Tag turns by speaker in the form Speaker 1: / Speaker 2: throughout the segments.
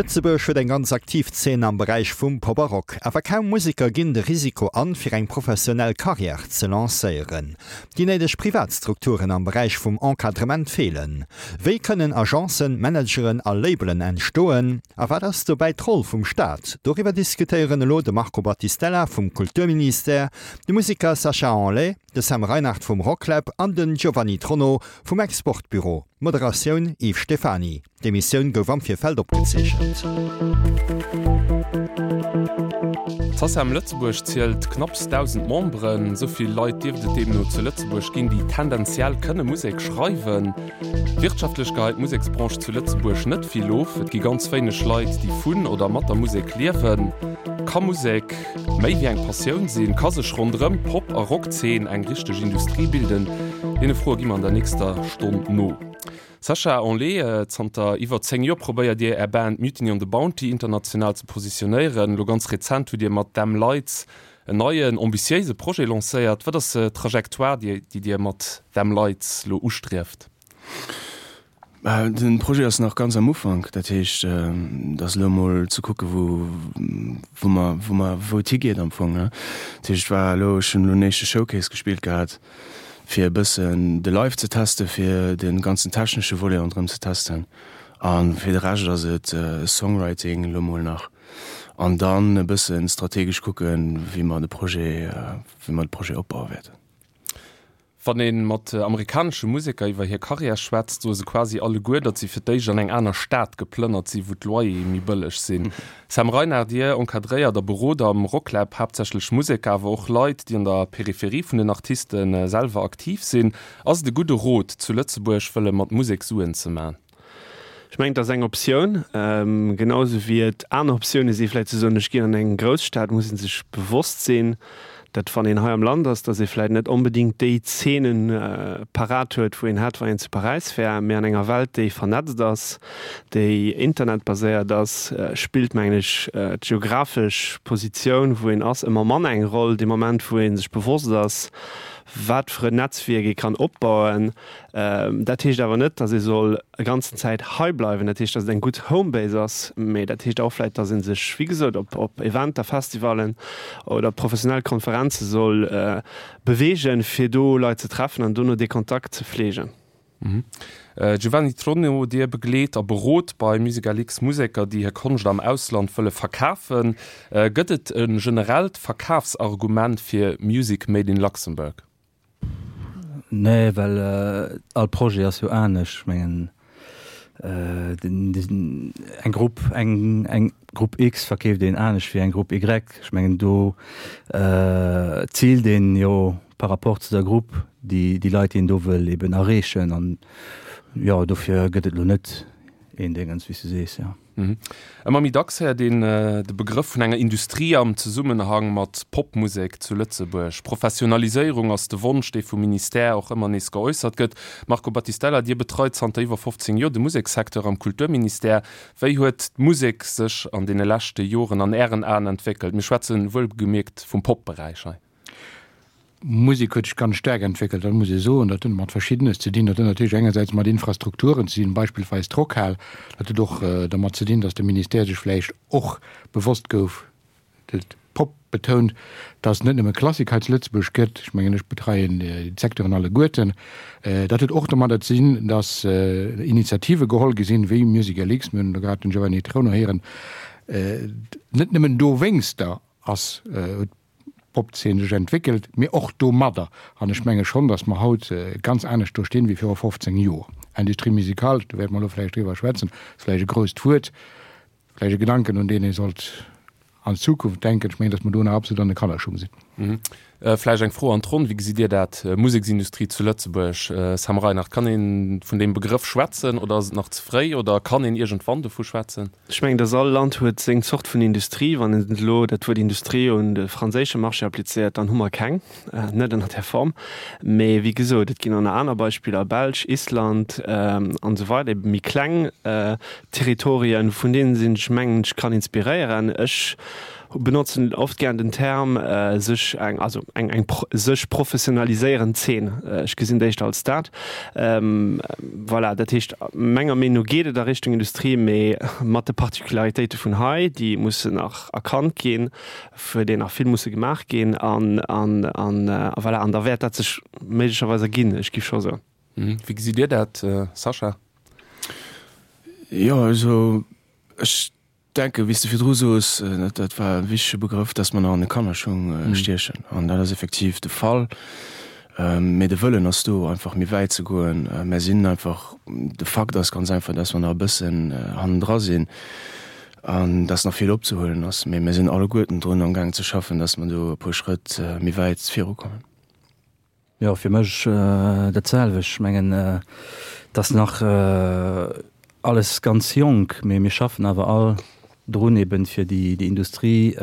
Speaker 1: Lëtzebuerg huet eng ganz aktiv Zeen am Beräich vum Pop a Rock. Awer kaum Museker ginn de Risiko an, fir eng professionell Karriär ze lancéieren. Déi néideg Privatstrukturen am Beräich vum Encadrement feelen. Wéi kënnen Agencen, Manageren a Labelen entstoen? A wat ass dobäi d'Roll vum Staat? Doriwwer diskutéieren elo de Marco Battistella vum Kulturministère, de Museker Sacha Henley, de Sam Reinard vum Rocklab an den Giovanni Tronno vum Exportbüro. Moderatioun, Yves Stephany. D'Emissioun gouf am Virfeld opgezeechent.
Speaker 2: D'Sacem Lëtzebuerg zielt knapps 1.000 Memberen. Esou vill Leit dierft et deemno zu Lëtzebuerg ginn, déi tendenziell kënne Musek schreiwen. Wirtschaftlech geheit d'Museksbranche zu Lëtzebuerg net vill of. Et gi ganz wéineg Leit, déi vun oder mat der Musek liewen. Ka Musek méi wéi eng Passioun sinn? Ka sech ronderëm d'Pop a Rockzeen eng richteg Industrie bilden? Deene Froe gi mer an der nächster Stonn no. Sacha Henlé, zanter iwwer 10 Joer probéiert Dir Är Band Mutiny on the Bounty international ze positionéieren. Elo ganz rezent hutt Dir mat Them Lights en neien, ambitiéise Projet lancéiert. Wat ass d'Trajectoire, déi Dir mat Them Lights elo ustrieft?
Speaker 3: De Projet ass nach ganz am Ufank. Dat heescht, et ass elo emol ze kucke wou mer, wou mer, wou et higeet am Fong. Dat heescht, et war elo, ech hunn elo en éischte Showcase gespillt gehat. fir e bëssen de Live ze testen, fir de ganzen technesche Volet ronderëm ze testen. A fir de Rescht ass et Songwriting elo mol nach an dann e bësse strategesch kucken, wéi mer de Projet, wéi mer de Projet opbaue wäerten.
Speaker 2: Wann ee mat amerikanesche Museker iwwer hir Karriär schwätzt, soe se quasi alleguer, datt si fir d'éischt an eng aner Stad geplënnert sinn, wou d'Loyere méi bëlleg sinn. Sam Reinard, Dir encadréiert a berot am Rocklab haaptsächlech Museker, awer och Leit, déi an der Peripherie vun den Artiste selwer aktiv sinn. Ass et e gudde Rot, zu Lëtzebuerg wëlle mat Musek Suen ze man?
Speaker 4: Ech mengen, et ass eng Optioun, genau esou wéi et aner Optioune si vläicht ze soen, ech ginn an eng Grousstad. Muss ee sech bewosst sinn, datt wann een hei am Land ass, datt ee vläicht net onbedéngt déi Zeenen parat huet, wou een hätt, wann een zu Paräis wär. Mee an enger Welt, déi vernetzt ass, déi internetbaséiert ass, spillt, mengen ech, d'geographesch Positioun, wou een ass, ëmmer manner eng Roll. Dee Moment, wou ee sech bewosst ass, wat fir en Netzwierk ee kann opbauen. Dat heescht awer net, datt ee soll e ganzen Zäit hei bleiwen. Dat heescht, datt et eng gutt Homebase ass, mee dat heescht och vläicht, datt ee sech, wéi gesot, op op Eventer, Festivallen oder professionell Konferenze soll beweegen, fir do Leit ze treffen an dono dee Kontakt ze fleegen.
Speaker 2: Giovanni Tronno, Dir begleet a berot bei MusicalX Museker, déi hir Konscht am Ausland wëlle verkafen. Gëtt et e generellt Verkafsargument fir Music made in Luxembourg?
Speaker 5: Nee, well all Projet ass jo anescht. Ech mengen eng Grupp, eng eng Grupp X verkeeft een anescht wéi eng Grupp Y. Ech mengen do ziilt een jo par rapport zu der Grupp déi déi Leit, déi een do wëll eben erreechen. An jo, dofir gëtt et elo net een Déngens, wéi s du sees, jo.
Speaker 2: Ëmmer méi dacks héiert een de Begrëff vun enger Industrie am Zesummenhang mat Popmusek zu Lëtzebuerg. Professionaliséierung ass de Wonsch, dee vum Ministère och ëmmer nees geäussert gëtt. Marco Battistella, Dir betreit zanter iwwer 15 Joer de Musekssecteur am Kulturministère. Wéi huet d'Musek sech an deene leschte Joren an Ären Aen entwéckelt? Mir schwätze wuelgemierkt vum Pop-Beräich hei.
Speaker 6: D'Musek huet sech ganz staark entwéckelt, dat muss ee soen. Dat huet mat Verschiddenes ze dinn. Dat huet natierlech engersäits mat Infrastrukturen ze dinn, beispillsweis d'Rockhal. Dat huet och dermat ze dinn, datt de Ministère sech vläicht och bewosst gouf, de Pop betount, datt et net nëmme Klassik hei zu Lëtzebuerg gëtt. Ech mengen, ech betreien déi Secteuren alleguerten. Dat huet och domadder ze dinn, datt Initiative geholl gi sinn, wéi MusicalX, mir hunn elo grad den Giovanni Trono héieren, net nëmmen dowéinster ass, huet D'Popzeen sech entwéckelt, mee och domadder. An ech menge schonn, datt mer haut ganz anescht do stinn wéi viru 15 Joer. Industrie musicale, do wäerte mer elo vläicht driwwer schwätzen, ass vläicht e grousst Wuert, vläicht e Gedanken, un deen ee sollt an Zukunft denken. Ech mengen, datt mer do nach absolut an de Kannerschung
Speaker 2: sinn. Vläicht eng Fro an d'Ronn, Wéi gesitt Dir dat, Museksindustrie zu Lëtzebuerg? Sam Reinard, kann ee vun deem Begrëff schwätzen oder ass et nach ze fréi oder kann een iergendwann dovu schwätzen?
Speaker 4: Ech mengen, dass all Land huet seng Zort vun Industrie. Wann een elo dat Wuert Industrie un de franséische Marché applizéiert, dann hu mer keng, net ënner där Form. Mee wéi gesot, et ginn och nach aner Beispiller, Belsch, Island an esou weider, ebe méi kleng Territorien, vun deenen een sech, mengen ech, kann inspiréieren. Ech. Benotzen oft gären den Term sech eng, also eng, eng sech professionaliséierend Zeen. Ech gesinn et éischter als dat. Voilà, dat heescht, menger Meenung no geet et a Richtung Industrie, mee mat de Particularitéite vun hei, déi mussen nach erkannt ginn, fir déi nach vill musse gemaach ginn an, an, an, a voilà, an da wäert dat sech méiglecherweis erginn, ech géif scho soen.
Speaker 2: Wéi gesitt Dir dat, Sascha?
Speaker 3: Jo, also ech denken, wéi s de virdru soos, dat war e wichtege Begrëff, dass mer nach an de Kannerschung stiechen. An dat ass effektiv de Fall. Mee de Wëllen ass do, einfach méi wäit ze goen. Mer sinn einfach, de Fakt ass ganz einfach, dass mer nach e bëssen hannendra sinn an dass nach vill opzehuelen ass. Mee mir sinn alleguerten drun amgaang ze schaffen, dass mer do e puer Schrëtt méi wäit virukommen.
Speaker 5: Jo, fir mech dat selwecht. Ech mengen, et ass nach alles ganz jonk, mee mir schaffen awer all drun eben fir déi Industrie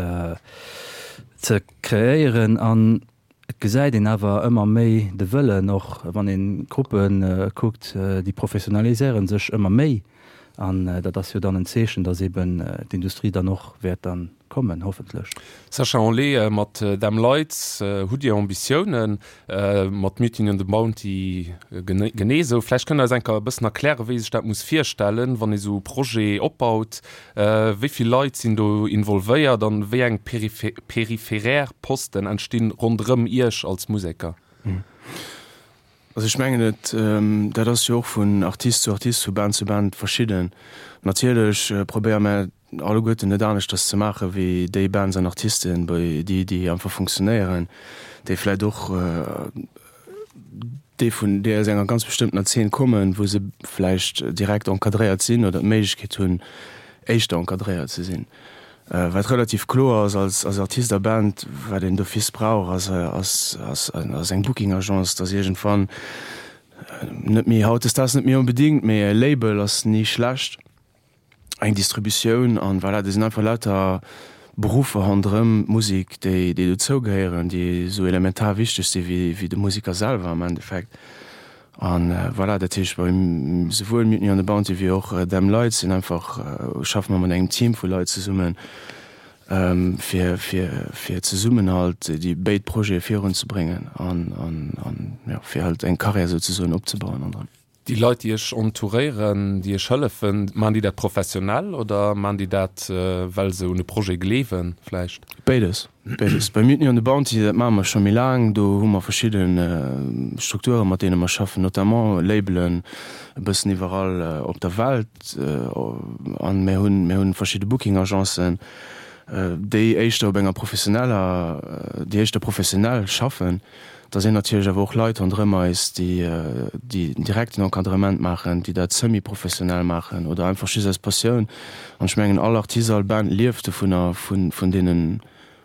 Speaker 5: ze kreéieren. An et gesäit een awer ëmmer méi de Wëllen, och wann een d'Gruppe kuckt, déi professionaliséiere sech ëmmer méi. An dat ass jo dann en Zeechen, dass eben d'Industrie dann och wäert dann kommen, hoffentlech.
Speaker 2: Sascha Anlé, Mat Them Lights hutt Dir Ambitiounen, mat Mutiny on the Bounty genee esou. Vläicht kënnt Der eis eng Kéier e bëssen erklären, wéi ee sech dat muss virstellen, wann ee sou e Projet opbaut. Wéi vill Leit sinn do involvéiert an wéi eng peripherär Posten entstinn ronderëm Iech als Museker?
Speaker 3: Also ech mengen et, dat ass jo och vun Artist zu Artist, vu Band zu Band verschidden. Natierlech probéiere mär alleguerten net aneschters ze maache wéi déi Bands an Artisten, bei déi déi einfach funktionéieren, déi vläicht och déi vun déi aus enger ganz bestëmmtener Zeen kommen, wou se vläicht direkt encadréiert sinn oder d'Méiglechkeet hunn éischter encadréiert ze sinn. Wat relativ kloer ass als als Artist a Band, wat een d'office brauch, ass ass ass ass eng Booking Agence, dass iergendwann, net méi hautdesdaags net méi onbedingt, mee e Label ass ni schlecht, eng Distributioun an voilà, do sinn einfach lauter Beruffer ronderëm d'Musek, déi déi dozou gehéieren, déi esou elementar wichteg si wéi wéi de Museker selwer am Endeffekt. An voilà, dat heescht bei souwuel Mutiny on the Bounty wéi och Them Lights sinn einfach, schaffe mer mat engem Team vu Leit zesummen, fir, fir, fir zesummen halt déi béid Projete virunzebréngen an, an, an jo, fir halt eng Karriär souzesoen opzebauen an dran.
Speaker 2: Déi Leit, déi Iech entouréieren, déi Iech hëllefen, maachen déi dat professionell oder maachen déi dat, well se un de Projet gleewen vläicht?
Speaker 3: Béides. Béides. Bei Mutiny on the Bounty, dat maache mer scho méi laang, do hu mer verschidde Strukturen, mat deene mer schaffen, notamment Labelen e bëssen iwwerall op der Welt. An mir hunn, mir hunn verschidde Booking-Agencen, déi éischter op enger professioneller, déi éischter professionell schaffen. Da sinn natierlech awer och Leit ronderëm eis, déi, déi den direkten Encadrement maachen, déi dat semi-professionell maachen oder einfach just aus Passioun. An ech mengen, all Artist, all Band lieft dovunner, vun, vun deene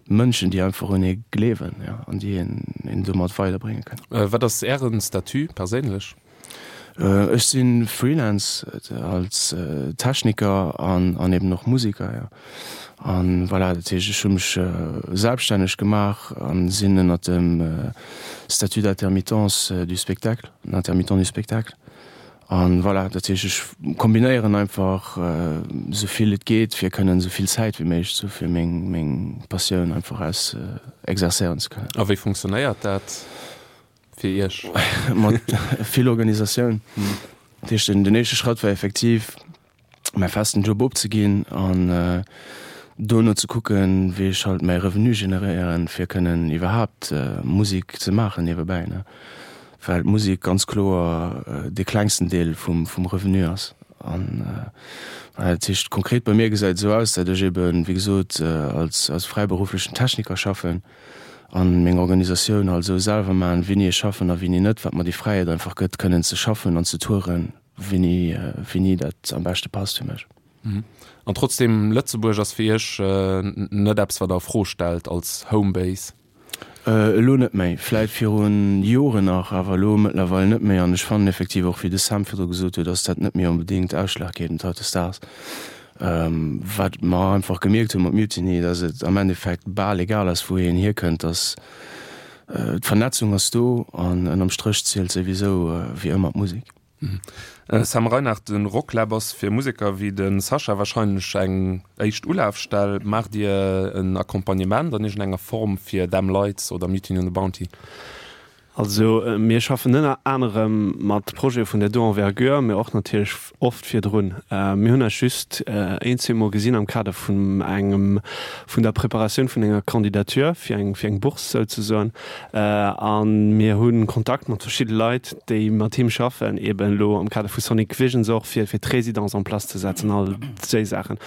Speaker 3: Mënschen, déi einfach un ee gleewen, jo, an déi een, een domat weiderbrénge kënnen.
Speaker 2: Wat ass Ären Statut perséinlech?
Speaker 3: Ech si Freelance als Techniker an an eben och Museker, jo. An voilà, dat heescht ech hu mech selbststänneg gemaach an sinn ënnert dem Statut d'intermittence du spectacle, intermittent du spectacle. An voilà, dat heescht ech kombinéieren einfach esou vill et geet fir kënnen esou vill Zäit wéi méiglech ze hu fir meng meng Passioun einfach aus exercéieren ze kënnen.
Speaker 2: A wéi funktionéiert dat? Fir Iech?
Speaker 3: Mat vill Organisatioun. Dat heescht, den éischte Schratt war effektiv, mäi festen Job opzeginn an dono ze kucken, wéi ech halt mäi Revenu generéieren, fir kënnen iwwerhaapt Musek ze maachen niewebäi, ne? Well d'Musek ganz kloer dee klengsten Deel vum Revenu ass. An dat heescht, konkret bei mir gesäit et esou aus, datt ech eben, wéi gesot, als fräiberufflechen Techniker schaffen. an meng Organisatioun halt esou selwer maachen, wéini ech schaffen a wéini net, wat mer déi Fräiheet einfach gëtt, kënnen ze schaffen an ze touren, wéini, wéini dat am beschte passt fir mech.
Speaker 2: An trotzdem, Lëtzebuerg ass fir Iech net eppes, wat Der a Fro stellt als Homebase?
Speaker 3: Elo net méi, vläit viru Joren nach, awer elo mëttlerweil net méi. An ech fannen effektiv och, wéi de Sam virdru gesot huet, ass dat net méi onbedéngt ausschlaggebend hautdesdaags. Wat mer einfach gemierkt hu mat Mutiny, dass et am Endeffekt bal egal ass, wou een hierkënnt, dass d'Vernetzung ass do an ënnerm Stréch zielt souwisou wéi ëmmer d'Musek.
Speaker 2: Sam Reinard, De Rocklab ass fir Museker wéi de Sascha warscheinlech eng éischt Ulafstell. Maacht Dir en Accompagnement an iergendenger Form fir Them Lights oder Mutiny on the Bounty?
Speaker 4: Also mir schaffen ënner anerem mat Projete vun där do Envergure, mä och natierlech oft virdrun. Mir hunn eis just een, zweemol gesinn am Kader vun engem, vun der Preparatioun vun enger Candidature fir eng, fir eng Bourse souzesoen. A mir hu Kontakt mat verschidde Leit, déi mat him schaffen, eben elo am Kader vu Sonic Visions och, fir fir d'Résidence en place ze setzen, all déi Saachen.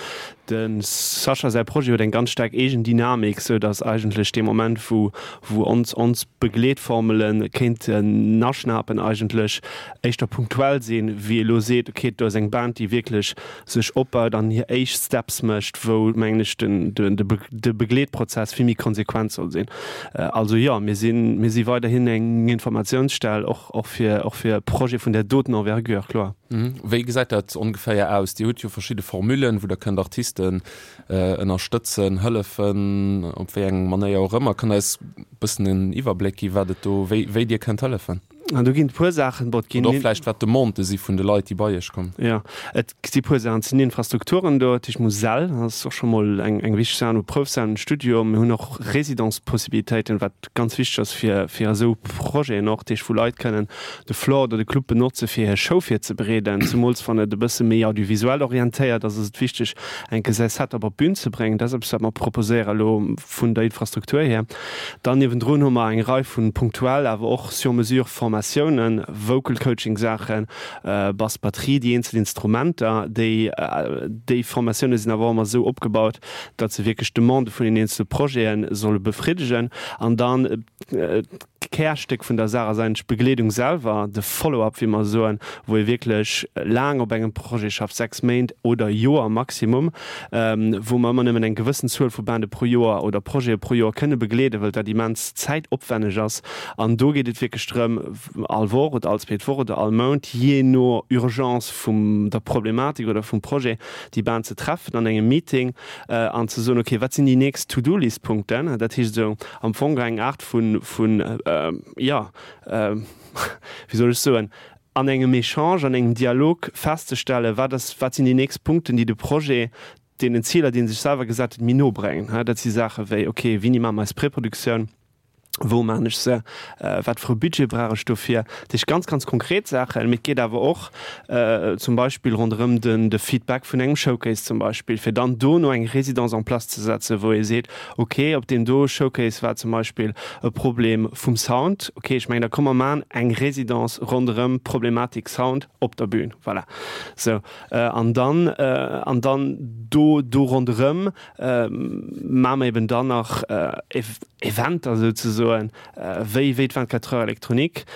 Speaker 4: De Sascha säi Projet huet eng ganz staark eegen Dynamik, sou datt eigentlech dee Moment, wou wou ons ons Begleetformele kéinten aschnapen, eigentlech éischter punktuell sinn, wéi elo seet, okay, do ass eng Band, déi wierklech sech opbaut an hir éischt Steps mécht, wou, mengen ech, den de Begleetprozess vill méi konsequent soll sinn. Also jo, mir sinn, mir si weiderhin eng Informatiounsstell, och, och fir, och fir Projete vun där doten Envergure, kloer.
Speaker 2: Wéi gesäit dat ongeféier aus? Dir hutt jo verschidde Formullen, wou Der kënnt Artisten ënnerstëtzen, hëllefen, op wéi eng Manéier och ëmmer. Kënnt Der eis e bëssen en Iwwerbléck gi wat et do, wéi, wéi Dir kënnt hëllefen?
Speaker 4: An do ginn et puer Saachen, bon, et ginn.
Speaker 2: Oder och vläicht wat d'Demandë si vun de Leit, déi bei Iech kommen.
Speaker 4: Jo, et si puer Saachen. Et sinn Infrastrukturen do, dat heescht Musel ass och scho mol eng, eng wichteg Saach, no Proufsalen, Studio. Mir hunn och Résidence-Possibilitéiten, wat ganz wichteg ass fir, fir esou Projeten och, dat heescht wou Leit kënnen de Floor oder de Club benotze fir hir Show virzebereeden. Zemools wann et e bësse méi audiovisuell orientéiert ass, ass et wichteg, enke säi Setup op d'Bün ze bréngen. Dat ass eppes, wat mer proposéieren elo vun der Infrastruktur hier. Dann niewendrun hu mer eng Rei vu punktuell, awer och sur mesure Formatiounen, Vocal Coaching Saachen, Bass, Batterie, déi eenzel Instrumenter. Déi, déi Formatioune sinn awer och ëmmer esou opgebaut, datt se wierklech d'Demande vun den eenzele Projete solle befriddegen. An dann D'Kärstéck vun der Saach ass eigentlech d'Begleedung selwer, de Follow-up, wéi mer soen, wou ee wierklech laang op engem Projet schafft, 6 Méint oder Joer maximum, wou mer ëmmer nëmmen eng gewëssen Zuel vu Bande pro Joer oder Projete pro Joer kënne begleeden, well dat immens zäitopwänneg ass. An do geet et wierklech drëm, all Woch oder all zweet Woch oder all Mount, jee no Urgence vum der Problematik oder vum Projet, déi Band ze treffen an engem Meeting an ze soen, okay, wat sinn déi nächst To-do-List-Punkten? Dat heescht esou am Fong eng Aart vun, vun, jo, wéi soll ech soen, an engem Echange, an engem Dialog festzestellen, wat ass, wat sinn déi nächst Punkten, déi de Projet deenen Ziler, déi en sech selwer gesat huet, méi no bréngen. Dat si Saache wéi, okay, wéini maache mer eis Preproduktioun? Wou maachen ech se? Wat fir e Budget brauch ech dofir? Dat heescht ganz, ganz konkret Saachen. Mee et geet awer och zum Beispill ronderëm den, de Feedback vun engem Showcase zum Beispill, fir dann dono eng Résidence en place ze setzen, wou ee seet, ok, op deem do Showcase war zum Beispill e Problem vum Sound. Ok, ech mengen, da komm mer maachen eng Résidence ronderëm d'Problematik Sound op der Bühn. Voilà. Sou, an dann, an dann do, do ronderëm maache mer eben dann nach Eventer souzesoen, wéi, wéi d'24 Heures électroniques,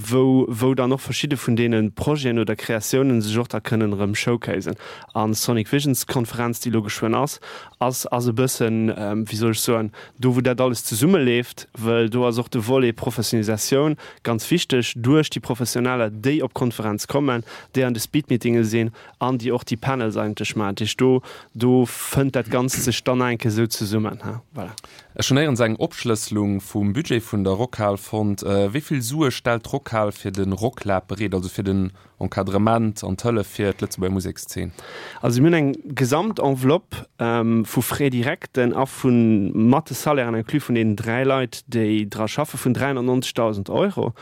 Speaker 4: wou, wou dann och verschidde vun deene Projeten oder Kreatiounen sech och da kënnen erëm showcasen. An d'Sonic Visions Konferenz, déi elo geschwënn ass, ass, ass e bëssen, wéi soll ech soen, do wou dat alles zesummeleeft, wëll do ass och de Volet Professionalisatioun ganz wichteg duerch déi Professioneller, déi op d'Konferenz kommen, déi an de Speedmeetinge sinn an déi och déi Panels eigentlech maachen. Dat heescht, do, do fënnt dat Ganzt sech dann eng Kéier esou zesummen. Voilà.
Speaker 2: Ech hunn néierens eng Opschlësselung vum Budget vun der Rockhal fonnt. Wéi vill Sue stellt d'Rockhal fir de Rocklab bereet, also fir den Encadrement an d'Hëllef fir d'Lëtzebuerger Musekszeen?
Speaker 4: Also mir hunn eng Gesamtenveloppe vu Frais directen a vu mat de Salairen inclus vun deenen 3 Leit, déi dra schaffen, vun 390.000 Euro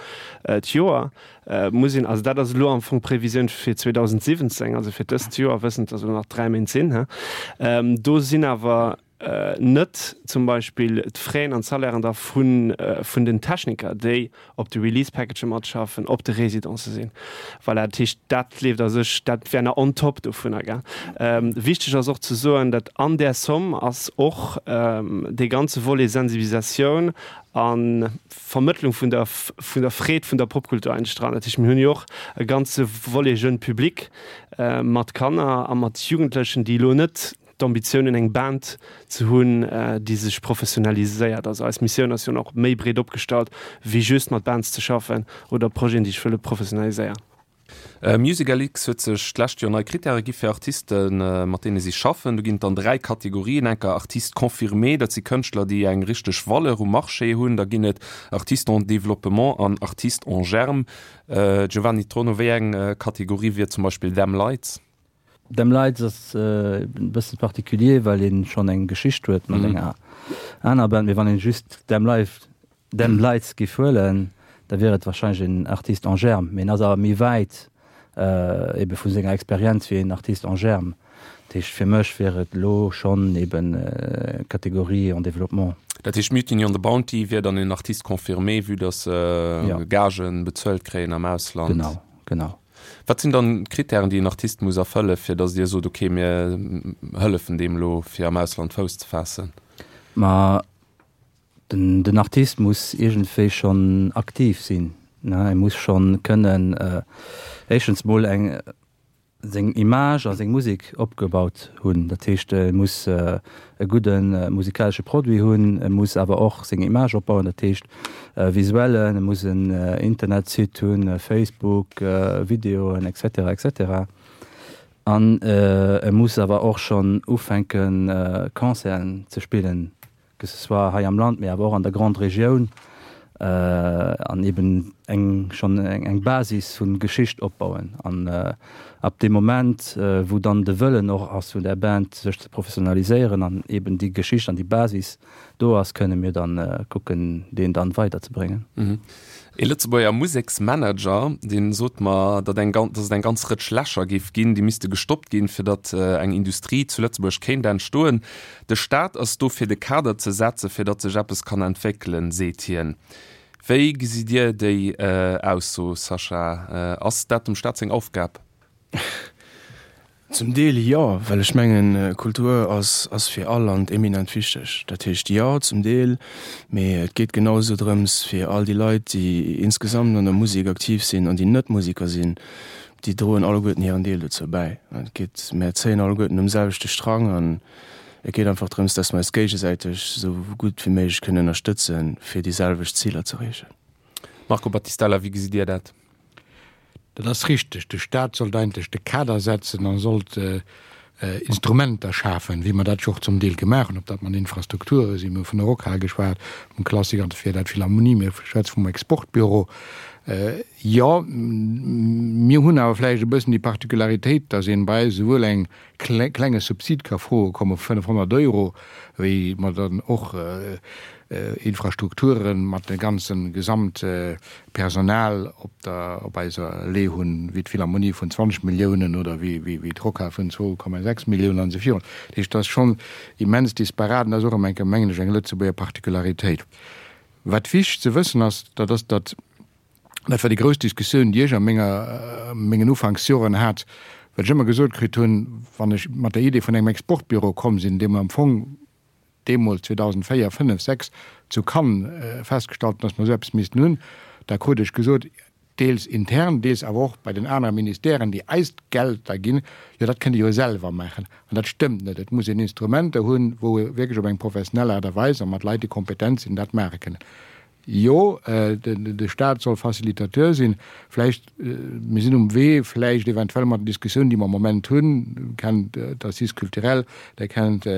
Speaker 4: d'Joer. Muss een, also dat ass elo am Fong d'Previsioun fir 2017, also fir dëst Joer, wëssend, dass elo nach 3 Méint sinn. Do sinn awer net zum Beispill d'Fraisen an d'Salairen da vun vun den Techniker, déi op de Release-Packagë matschaffen, op de Residencë sinn. Voilà, dat heescht, dat leeft a sech, dat wär nach on top dovunner, gell. Wichteg ass och ze soen, datt an där Somme ass och dee ganze Volet Sensibilisatioun a Vermëttlung vun der vun der Freed vun der Popkultur eigentlech dran. Dat heescht, mir hunn jo och e ganze Volet Jeune Public mat Kanner a mat Jugendlechen, déi elo net d'Ambitioun hunn eng Band ze hunn, déi sech professionaliséiert. Also eis Missioun ass jo nach méi breet opgestallt wéi just mat Bands ze schaffen oder Projeten, déi sech wëlle professionaliséieren.
Speaker 2: MusicLX huet sech d'lescht Joer nei Krittäre gi fir Artisten, mat deene si schaffen. Do ginn et dann 3 Kategorien, enker Artistes confirmés, dat si Kënschtler, déi eng richteg Valeur um Marché hunn. Da ginn et Artistes en développement an Artistes en germe. Giovanni Tono, wéi eng Kategorie wier zum Beispill Them Lights?
Speaker 5: Them Lights ass e bësse particulier, well ee schonn eng Geschicht huet mat enger aner Band. Mee wann een just Them Life Them Lights giff huelen, da wier et wahrscheinlech een Artiste en germe, mee en ass awer méi wäit ebe vu senger Experienz wéi een Artiste en germe. Dat heescht fir mech wier et elo schonn eben Kategorie en développement.
Speaker 2: Dat heescht Mutiny on the Bounty wier dann een Artiste confirmé, vue dass se Gagen bezuelt kréien am Ausland?
Speaker 5: Genau, genau.
Speaker 2: Wat sinn dann d'Krittären, déi en Artist muss erfëllen, fir dass Dir sot, okay, mir hëllefen deem elo fir am Ausland Fouss ze faassen?
Speaker 5: Ma Den Artist muss iergendwéi schonn aktiv sinn. E muss schonn kënnen éischtens mol eng seng Image a seng Musek opgebaut hunn. Dat heescht, e muss e gudde musikalesche Produit hunn, e muss awer och seng Image opbauen, dat heescht visuellen, e muss en Internetsite hunn, Facebook, Videoen, et cetera, et cetera. An e muss awer och schonn ufänke Concerten ze spillen. que ce soit hei am Land, mee awer och an der Grande Regioun, an eben eng schonn eng Basis vu Geschicht opbauen. An ab deem Moment, wou dann de Wëllen och ass vun där Band, sech ze professionaliséieren an eben déi Geschicht an déi Basis do ass, kënne mir dann kucken, deen dann weiderzebréngen.
Speaker 2: Ee Lëtzebuerger Museksmanager, dee sot mer, datt eng datt et eng ganz Rëtsch Lächer géif ginn, déi misste gestoppt ginn, fir datt eng Industrie zu Lëtzebuerg kéint entstoen. De Staat ass do fir de Kader ze setzen, fir datt sech eppes kann entwéckelen, seet hien. Wéi gesitt Dir déi Ausso, Sascha? Ass dat dem Staat seng Aufgab?
Speaker 3: Zum Deel jo, well ech mengen, Kultur ass ass fir all Land eminent wichteg. Dat heescht, jo, zum Deel, mee et geet genau esou drëms, fir all déi Leit, déi insgesamt an der Musek aktiv sinn an déi net Museker sinn, déi droen alleguerten hiren Deel dozou bäi. Et geet, mär zéien alleguerten um selwechte Strang an et geet einfach drëms, dass mer eis géigesäiteg esou gutt wéi méiglech kënnen ënnerstëtzen, fir déi selwecht Ziler z'erreechen.
Speaker 2: Marco Battistella, wéi gesitt Dir dat?
Speaker 6: Dat ass richteg. De Staat sollt eigentlech de Kader setzen a sollt Instrumenter schafen, wéi mer dat jo och zum Deel gemaach hunn, ob dat mat Infrastrukture sinn, mir hu vun der Rockhal geschwat, vum Klassik an fir dat Philharmonie, mir schwätze vum Exportbüro. Jo, mir hunn awer vläicht e bëssen déi Particularitéit, dass een bei eis esouwuel eng klenge Subsid ka froe komme vu 500 Euro, wéi mer dann och Infrastrukture mat dem ganze Gesamtpersonal op der op eiser Lee hunn, wéi d'Philharmonie vun 20 Milliounen oder wéi d'Rockhal vun 2,6 Milliounen an esou virun. Dat heescht, dat ass schonn immens disparat an dat ass och erëm eng Kéier, mengen ech, eng Lëtzebuerger Particularitéit. Wat wichteg ze wëssen ass, dat ass, datt Dat war déi grouss Diskussioun, déi ech a menger, mengen Ufanksjoren hat, well ech ëmmer gesot kritt hunn, wann ech mat der Idee vun engem Exportbüro komm sinn, dee mer am Fong deemools 2004, 5, 6 zu Cannes festgestallt hunn, datt mer esou eppes missten hunn, da krut ech gesot, deels intern, deels awer och bei den anere Ministèren, déi eis d'Geld da ginn, jo dat kënnt Dir jo selwer maachen. An dat stëmmt net. Et muss een Instrumenter hunn, wou ee wierklech op eng professionell Aart a Weis a mat Leit, déi kompetent sinn, dat maache kënnen. Jo, de Staat soll Facilitateur sinn. Vläicht, mir sinn um Wee, vläicht eventuell mat den Diskussiounen, déi mer am Moment hunn, kennt d'Assises culturelles, Der kennt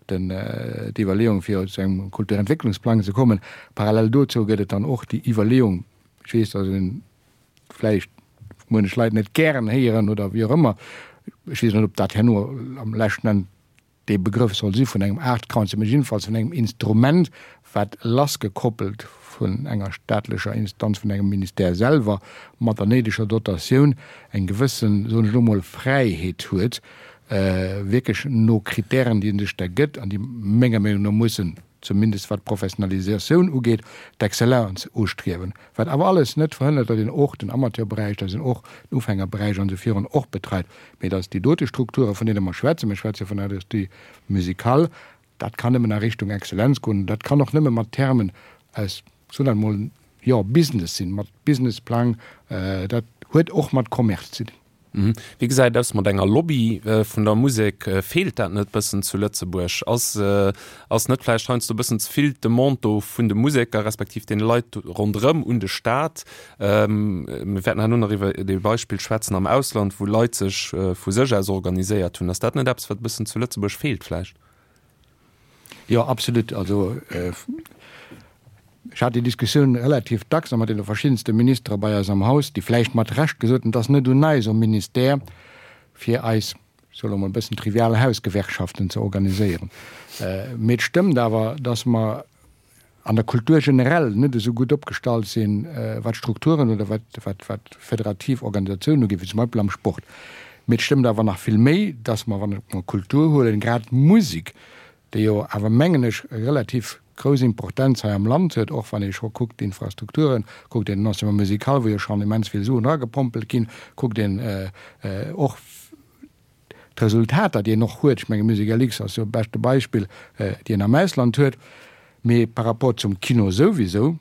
Speaker 6: d'Iwwerleeung, fir zu engem Kulturentwécklungsplang ze kommen. Parallel dozou gëtt et dann och déi Iwwerleeung, ech weess, datt ee vläicht muenech Leit net gären héieren oder wéi och ëmmer, ech weess net, ob dat herno am leschten Enn dee Begrëff soll si vun engem Art Council, mä jiddefalls vun engem Instrument, wat lassgekoppelt vun enger staatlecher Instanz, vun engem Ministère selwer, mat der néideger Dotatioun eng gewëssen, soen ech elo mol, Fräiheet huet, wierklech no Kritären, déi e sech da gëtt an déi menger Meenung no mussen, zumindest wat d'Professionalisatioun ugeet, d'Exzellenz ustriewen. Wat awer alles net verhënnert, datt een och den Amateurberäich, datt een och den Ufängerberäich an esou virun och betreit, mee datt déi dote Strukturen, vun deene mer schwätzen, mir schwätze vun der Industrie musicale, dat kann nëmmen a Richtung Exzellenz goen, dat kann och nëmme mat Termen aus, ech soen dat emol, jo, Business sinn, mat Businessplang, dat huet och mat Commerce ze dinn.
Speaker 2: Wéi gesäit et aus mat enger Lobby vun der Musek? Feelt dat net bëssen zu Lëtzebuerg? Ass ass net vläicht heiansdo bëssen ze vill d'Demande do vun de Museker respektiv deene Leit ronderëm un de Staat? Mir wäerten herno nach iwwer e Beispill schwätzen am Ausland, wou Leit sech vu sech aus organiséiert hunn. Ass dat net eppes, wat e bëssen zu Lëtzebuerg feelt vläicht?
Speaker 6: Jo, absolut. Also ech hat déi Diskussioun relativ dacks a mat deene verschiddenste Ministere bei eis am Haus, déi vläicht mat Recht gesot hunn, et ass net un eis um Ministère, fir eis, ech soe lo mol e bëssen trivial, Hausgewerkschaften ze organiséieren. Mee et stëmmt awer, datt mer an der Kultur generell net esou gutt opgestallt sinn, wat Strukturen oder wat, wat, wat federativ Organisatiounen ugeet, wéi zum Beispill am Sport. Mee et stëmmt awer nach vill méi, dass mer, wann mer Kultur huelen, grad d'Musek, déi jo awer, mengen ech, e relativ grouss Importenz hei am Land huet, och wann ee scho kuckt d'Infrastrukturen, kuckt een den Enseignement musical, wou jo schonn immens vill Suen eragepompelt ginn, kuckt een och, d'Resultater, déi een och huet, ech menge Musica Lux ass jo e beschte Beispill, déi een am Ausland huet, mee par rapport zum Kino souwisou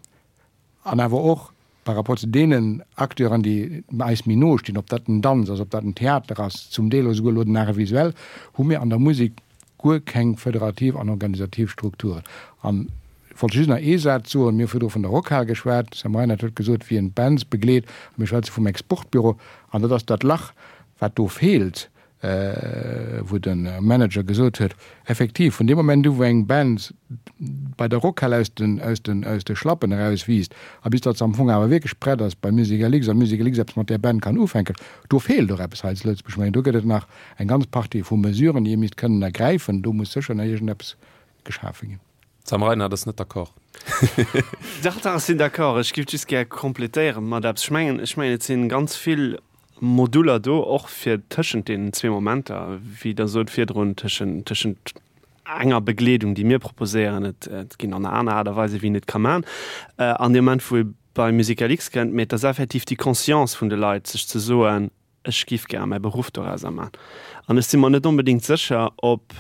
Speaker 6: an awer och par rapport zu deenen Acteuren, déi eis méi no stinn, ob dat den Danz ass, ob dat den Theater ass, zum Deel och esouguer elo den Art visuel, hu mir an der Musek guer keng föderativ an organisativ Strukturen. An ech wollt just nach ee Saz soen, Mir hu virdru vun der Rockhal geschwat, de Sam Reinard huet gesot, wien d'Bands begleet, a mir schwätze vum Exportbüro, an dat ass dat Lach, Wat do feelt, wou de Manager gesot huet, effektiv, vun deem Moment u wou eng Band bei der Rockhal aus den, aus den, aus de Schlappen erauswiisst a bis datt se am Fong awer wierklech prett ass bei Musica Lux a Musica Lux eppes mat där Band kann ufänken, do feelt och eppes hei zu Lëtzebuerg. Ech mengen, do gëtt et nach eng ganz Partie vu Mesuren, déi ee misst kënnen ergräifen. Do muss sécher nach iergendeppes geschafe ginn.
Speaker 2: D'Sam Reinard ass net d'accord.
Speaker 4: Dach, dach, ech sinn d'accord. Ech géif just gär complétéiere mat eppes. Ech mengen, ech mengen, et si ganz vill Moduler do, och fir tëschent deenen zwee Momenter, wéi Der sot virdrun, tëschent, tëschent enger Begleedung, déi mir proposéieren, et, et ginn an aner Aart a Weise wéi een et ka maachen, an deem Moment wou ee bei Musica-Lux kënnt, mee et ass effektiv déi Conscience vun de Leit, sech ze soen, ech giff gär mäi Beruff dorauser man. An ech si mer net onbedéngt sécher, ob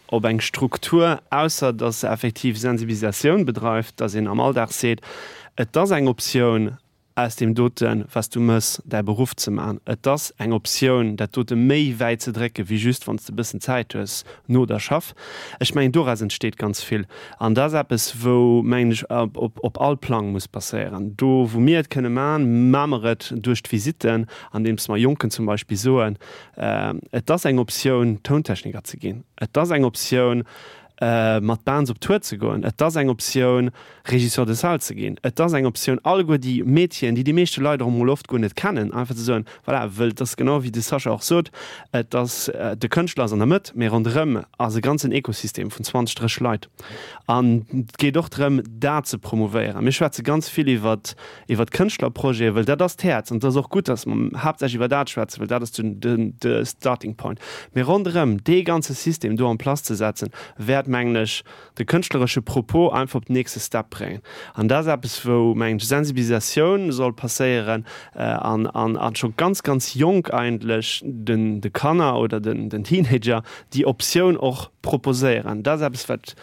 Speaker 4: ob eng Struktur, ausser datt se effektiv Sensibilisatioun bedreift, datt een am Alldag seet, et ass eng Optioun, aus deem doten, wat s du mëss, däi Beruff ze man. Et ass eng Optioun, dat dote méi wäit ze drécken, wéi just wann s de e bëssen Zäit hues no der Schaff. Ech mengen, doraus entsteet ganz vill. An dat ass eppes, wou, mengen ech, op all Plang muss passéieren. Do, wou mir et kënne man, ma mer et duerch d'Visitten, andeems mer Jonken zum Beispill soen, Et ass eng Optioun, Tountechniker ze ginn. Et ass eng Optioun, mat Bands op Tour ze goen. Et ass eng Optioun, Régisseur de salle ze ginn. Et ass eng Optioun, alleguer déi Métieren, déi déi meeschte Leit och emol oft guer net kennen, einfach ze soen, voilà, wëll et ass genau wéi de Sascha och sot, et ass, de Kënschtler ass an der Mëtt, mee ronderëm ass e ganzen Ekosystem vun 20, 30 Leit. An et geet och drëm, dat ze promouvéieren. Mir schwätze ganz vill iwwert, iwwert Kënschtlerprojete, wëll dat ass d'Häerz. An et ass och gutt, datt mer haaptsächlech iwwer dat schwätzen, wëll dat ass den, den, de Starting Point. Mee ronderëm dee ganze System do en place ze setzen, wäert, mengen ech, de kënschtleresche Propos einfach op den nächste Step bréngen. An dat ass eppes, wou, mengen ech, Sensibilisatioun soll passéieren an, an, an scho ganz, ganz jonk eigentlech den, de Kanner oder den, den Teenager déi Optioun och proposéieren. Dat ass eppes, wat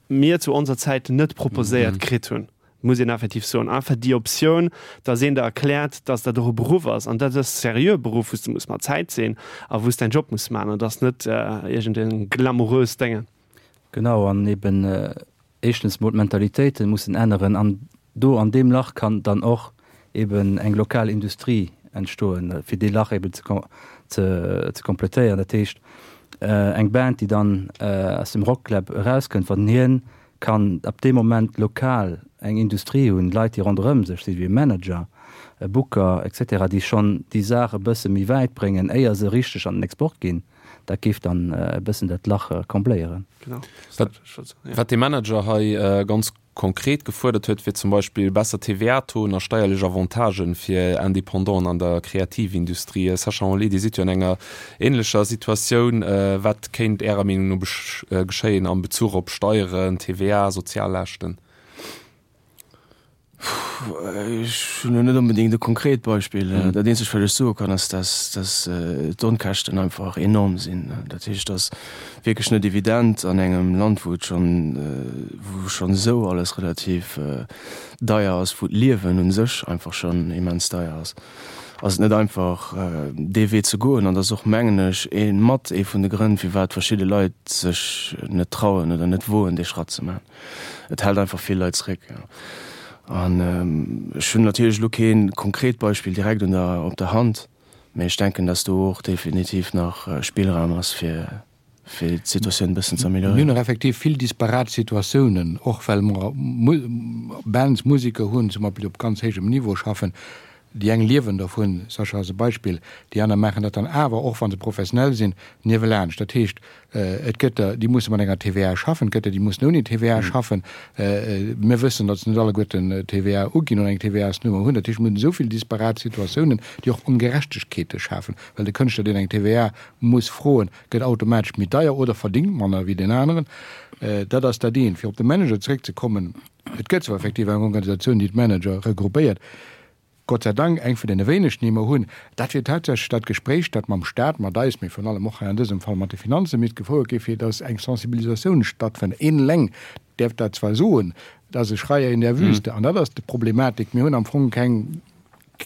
Speaker 4: mir zu onser Zäit net proposéiert kritt hunn. Muss een effektiv soen. Einfach déi Optioun, dass een der erkläert, dass dat och e Beruff ass an dat ass e seriöe Beruff, wou s de muss mat Zäit sinn a wou s däin Job muss maachen an dat ass net iergend e glamouröst Déngen.
Speaker 5: Genau, an eben éischtens mol d'Mentalitéiten mussen änneren an do an deem Lach kann dann och eben eng lokal Industrie entstoen, fir dee Lach eben ze ze kompletéieren. Dat heescht, eng Band, déi dann aus dem Rockclub erauskënnt, wann hien kann ab deem Moment lokal eng Industrie hunn, Leit, déi ronderëm sech sinn, wéi e Manager, e Booker et cetera, déi schonn déi Saach e bësse méi wäit bréngen, éier se richteg an den Export ginn, dat géif dann e bëssen dat Lach combléieren.
Speaker 2: Wat dee Manager hei ganz konkret gefuerdert huet, wier zum Beispill besser TVA-Tauxen a steierlech Avantagen fir Independanten an der Kreativindustrie. Sascha Henlé, Dir sidd jo an enger änlecher Situatioun. Wat kéint Ärer Meenung no geschéien am Bezuch op Steieren, TVA, Soziallaaschten?
Speaker 3: Ech hunn elo net onbedéngt e konkret Beispill. Dat eenzegt, wat ech soe kann, ass, dass, dass d'Onkäschten einfach enorm sinn. Dat heescht, et ass wierklech net evident an engem Land, wou et schonn, wou schonn esou alles relativ deier ass, wou d'Liewen u sech einfach schonn immens deier ass. Ass et net einfach dee Wee ze goen an dat ass och mengen ech ee mat ee vun de Grënn firwat verschidde Leit sech net trauen oder net woen dee Schratt ze maachen. Et hält einfach vill Leit zréck. An ech hunn natierlech elo kee konkret Beispill direkt un der op der Hand, mee ech denken, datt do och definitiv nach Spillraum ass fir fir d'Situatioun e bëssen ze
Speaker 6: Mir hunn och effektiv vill disparat Situatiounen, och well mer Bands, Museker hunn, zum Beispill, déi op ganz héijem Niveau schaffen. Déi eng liewen dervun, Sascha ass e Beispill, déi aner maachen dat dann awer, och wa se professionell sinn, niewelaanscht. Dat heescht, et gëtt der, déi musse mat enger TVA schaffen, et gëtt der, déi mussen ouni TVA schaffen. Mir wëssen, datt se net alleguerten TVA uginn oder eng TVA-s-Nummer hunn. Dat heescht, mir hunn esou vill disparat Situatiounen, déi och Ongerechtegkeete schafen, well de Kënschtler, deen eng TVA muss froen, gëtt automatesch méi deier oder verdingt manner wéi deen aneren. Dat ass dat eent. Fir op de Manager zeréckzekommen, Et gëtt zwar effektiv eng Organisatioun, déi d'Manager regroupéiert, Gott sei Dank eng vun deene wéinegten, déi mer hunn. Dat wier tatsächlech dat Gespréich, dat mam Stat, mat eis, mee virun allem och hei an dësem Fall mat de Finanze misst gefouert ginn, fir datt eng Sensibilisatioun stattfënnt. Een eleng däerf dat zwar soen, dat ass e Schreier in der Wüste. An dat ass d'Problematik. Mir hunn am Fong keng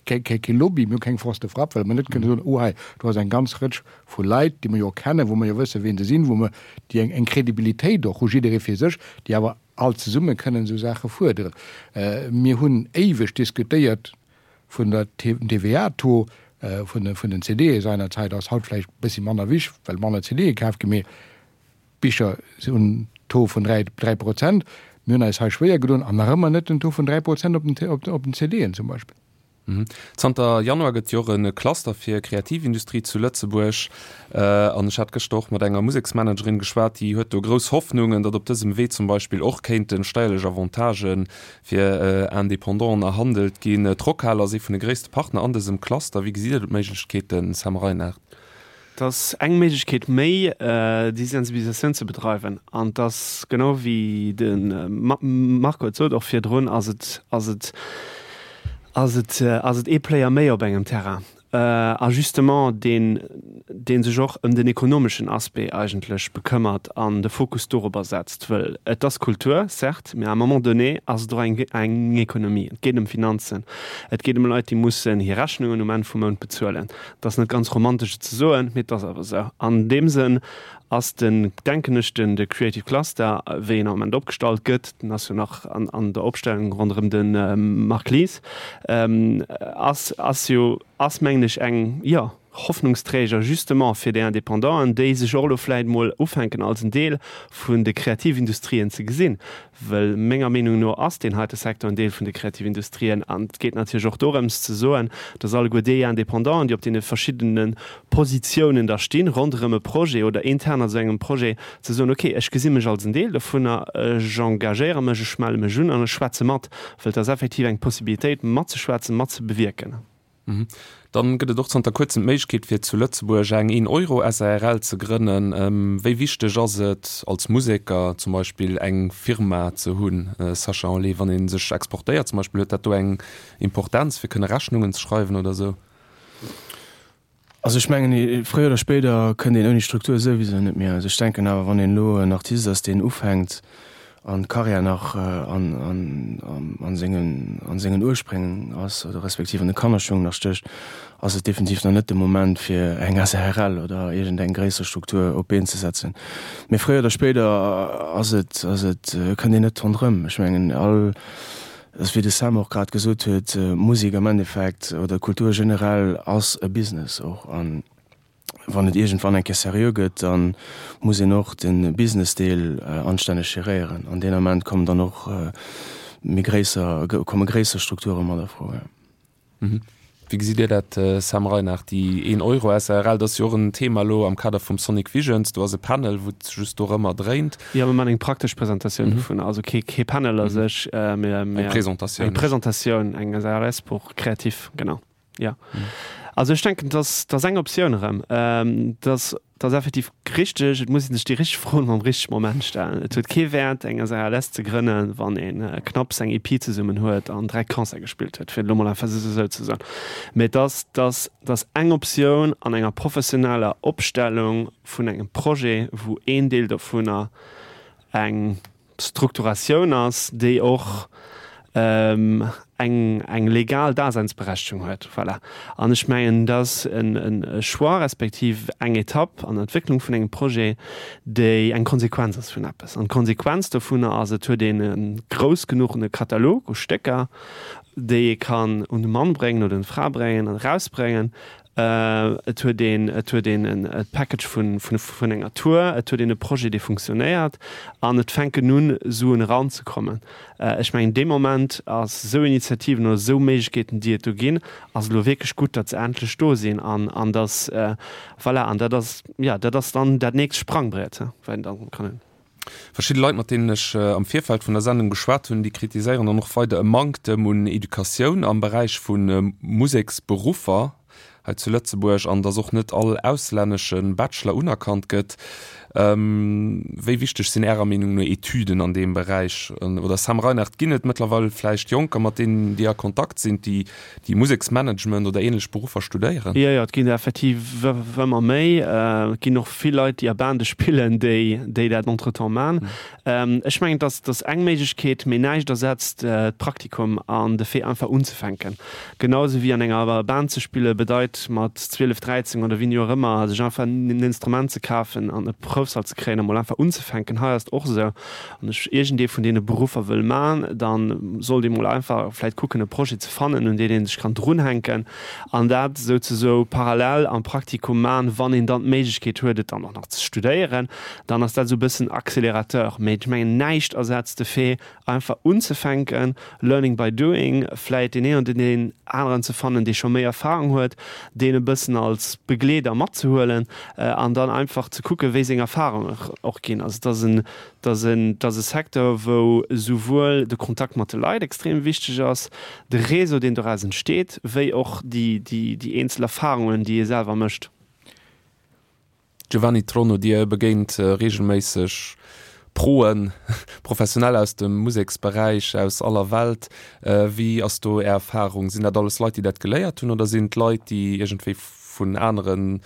Speaker 6: kee Lobby, mir hu keng Force de frappe, well mer net kënne soen, oh hei, do ass eng ganz Rëtsch vu Leit, déi mer jo kennen, wou mer jo wëssen, wien se sinn, wou mer, déi eng Kredibilitéit och hu, jidderee fir sech, déi awer all zesumme kënnen esou Saache fuerderen. Mir hunn éiweg diskutéiert vun der TVA-Taux vun den CDe seinerzeit, ass haut vläicht e bëssi manner wich, well manner CDe kaf ginn, mee Bicher hunn en Taux vun 3 Prozent. Mir hunn eis hei schwéier gedoen an nach ëmmer net den Taux vun 3 Prozent op den CDen zum Beispill.
Speaker 2: Zanter Januar gëtt jo och e Cluster fir Kreativindustrie zu Lëtzebuerg. An ech hat gëschter och mat enger Museksmanagerin geschwat, déi huet do grouss Hoffnungen, datt op dësem Wee zum Beispill och kéinte steierlech Avantagë fir Independanten erhandelt ginn. D'Rockhal ass ee vun de gréisste Partner an dësem Cluster. Wéi gesitt Dir do d'Méiglechkeeten, Sam Reinard?
Speaker 4: Et ass eng Méiglechkeet méi, déi Sensibilisatioun ze bedreiwen. An et ass, genau wéi de Marco et sot och virdrun, ass et, ass et, ass et, ass et ee Player méi op engem Terrain. A justement deen, dee sech och ëm den ekonomeschen Aspect eigentlech bekëmmert an de Fokus dorobber setzt. Wëll et ass Kultur, certes, mä à un moment donné ass et och eng, eng Ekonomie. Et geet ëm Finanzen. Et geet ëm Leit, déi mussen hir Rechnungen um Enn vum Mount bezuelen. Et ass net ganz romantesch et ze soen, mee et ass awer esou. An deem Sënn ass den, denken ech, den de Creative Cluster, wéi en am Moment opgestallt gëtt, den ass jo nach an an der Opstellung ronderëm de Marc Lies, ass ass jo, ass mengen ech eng, jo, Hoffnungsträger justement fir déi Indépendanten, déi sech och elo vläicht emol ufänken als en Deel vun de Kreativindustrien ze gesinn. Well menger Meenung no ass deen heite Secteur en Deel vun de Kreativindustrien. An et geet natierlech och dorëms ze soen, dass alleguer déi Indépendanten, déi op deene verschiddene Positiounen da stinn, ronderëm e Projet oder intern a sou engem Projet, ze soen, okay, ech gesi mech als en Deel dovunner, ech engagéiere mech, ech melle mech un an ech schwätze mat, well et ass effektiv eng Possibilitéit matzeschwätzen, matzebewierken.
Speaker 2: Dann gëtt et och zanter kuerzem d'Méiglechkeet fir zu Lëtzebuerg eng een Euro SARL ze grënnen. Wéi wichteg ass et als Museker zum Beispill eng Firma ze hunn, Sascha Henlé, wann ee sech exportéiert zum Beispill, huet dat do eng Importenz fir kënne Rechnungen ze schreiwen oder esou?
Speaker 3: Also ech mengen, fréier oder spéider kënnt een ouni Struktur souwisou net méi aus. Ech denken awer, wann een elo en Artist ass, deen ufänkt an d'Karriär nach an sengen an sengen Urspréng ass oder respektiv an de Kannerschung nach stécht, ass et definitiv nach net de Moment fir eng SARL oder iergend eng gréisser Struktur op d'Been ze setzen. Mee fréier oder spéider ass et ass et kënnt een net ronderëm. Ech mengen all Ass wéi de Sam och grad gesot huet, Musek am Endeffekt oder Kultur generell ass e Business och. An wann et iergendwann eng Kéier seriö gëtt, da muss een och de Business-Deel anstänneg geréieren. An deen Ament kommen dann och méi gréisser, komme gréisser Strukture mat a Fro.
Speaker 2: Wéi gesitt Dir dat, Sam Reinard, déi een Euro SARL, dat ass jo och en Thema elo am Kader vum Sonic Visions, do ass e Panel, wou et just dorëmmer dréint.
Speaker 4: Jo, mir maachen eng praktesch Presentatioun dovun, also kee kee Panel a sech, mee
Speaker 2: Eng Presentatioun.
Speaker 4: Eng Presentatioun, eng SARS pour créatif, genau, jo. Also ech denken, dass dat ass eng Optioun erëm, dass Dat ass effektiv richteg. Et muss ee sech déi richteg Froen am richtege Moment stellen. Et huet kee Wäert, eng SARLS ze grënnen, wann ee knapps eng EP zesummen huet an 3 Concerte gespillt huet, fir et elo mol einfach esou ze soen. Mee et ass, dass, dass eng Optioun an enger professioneller Opstellung vun engem Projet, wou een Deel dovunner eng Strukturatioun ass, déi och. Eng eng legal Daseinsberechtegung huet. Voilà. An ech mengen, dat ass en e Choix respektiv eng Etapp an der Entwécklung vun engem Projet, déi eng Konsequenz ass vun eppes. An d'Konsequenz dovunner ass, et huet een e grouss genuchene Katalog u Stécker, déi ee kann un de Mann bréngen oder un d'Fra bréngen an erausbréngen, Et huet een, et huet een e Package vun, vun enger Tour, et huet een e Projet, dee funktionéiert an et fänken un, Suen eranzekommen. Ech mengen, dee Moment ass esou Initiativen oder esou Méiglechkeeten, déi et do ginn, ass et elo wierklech gutt, datt se endlech do sinn an, an datt, voilà, an dat ass, jo, dat ass dann dat nächst Sprangbriet, wat een dann kann hunn.
Speaker 2: Verschidde Leit, mat deenen ech am Virfeld vun der Sendung geschwat hunn, déi kritiséieren dann och weider e Manktem un Educatioun am Beräich vu Museksberuffer hei zu Lëtzebuerg an datt och net all auslännesche Bachelor unerkannt gëtt. Wéi wichteg sinn Ärer Meenung no Etüden an deem Beräich? Oder Sam Reinard, ginn et mëttlerweil vläicht Jonker, mat deenen Dir a Kontakt sinn, déi déi Museksmanagement oder ähnlech Beruffer studéieren?
Speaker 4: Jo, jo, et ginn der effektiv ëmmer méi. Et ginn och vill Leit, déi a Bande spillen, déi, déi dat entretemps man. Ech mengen, dass, dass eng Méiglechkeet, mee näischt ersetzt d'Praktikum an de Fait einfach unzefänken. Genau esou wéi an enger Band ze spille bedeit mat 12, 13 oder wéini och ëmmer sech einfach en Instrument ze kafen an e Proufsall ze kréien a mol einfach unzefänken. Hei ass et och esou. Wann ech iergendee vun deene Beruffer wëll man, da sollt ee mol einfach vläit kucken e Projet ze fannen, un deen ee sech kann drunhänken an dat souzesoe parallel am Praktikum man, wann een dann d'Méiglechkeet huet et dann och nach ze studéieren, dann ass dat esou e bëssen Accélérateur. Mee ech mengen, näischt ersetzt de Fait einfach unzefänken, learning by doing, vläit deen een oder deen aneren ze fannen, dee scho méi Erfahrung huet, deen e bëssen als Begleeder matzehuelen an dann einfach ze kucken, wéi seng Erfahrungen och ginn. Also et ass en, et ass en, et ass e Secteur, wou esouwuel de Kontakt mat de Leit extrem wichteg ass, de Réseau, deen doraus entsteet, wéi och déi, déi, déi eenzel Erfahrungen, déi ee selwer mécht.
Speaker 2: Giovanni Trono, Dir begéint reegelméisseg Proen, Professionell aus dem Museksberäich aus aller Welt. Wéi ass do Är Erfarung? Sinn dat alles Leit, déi dat geléiert hunn oder sinn et Leit, déi iergendwéi vun anere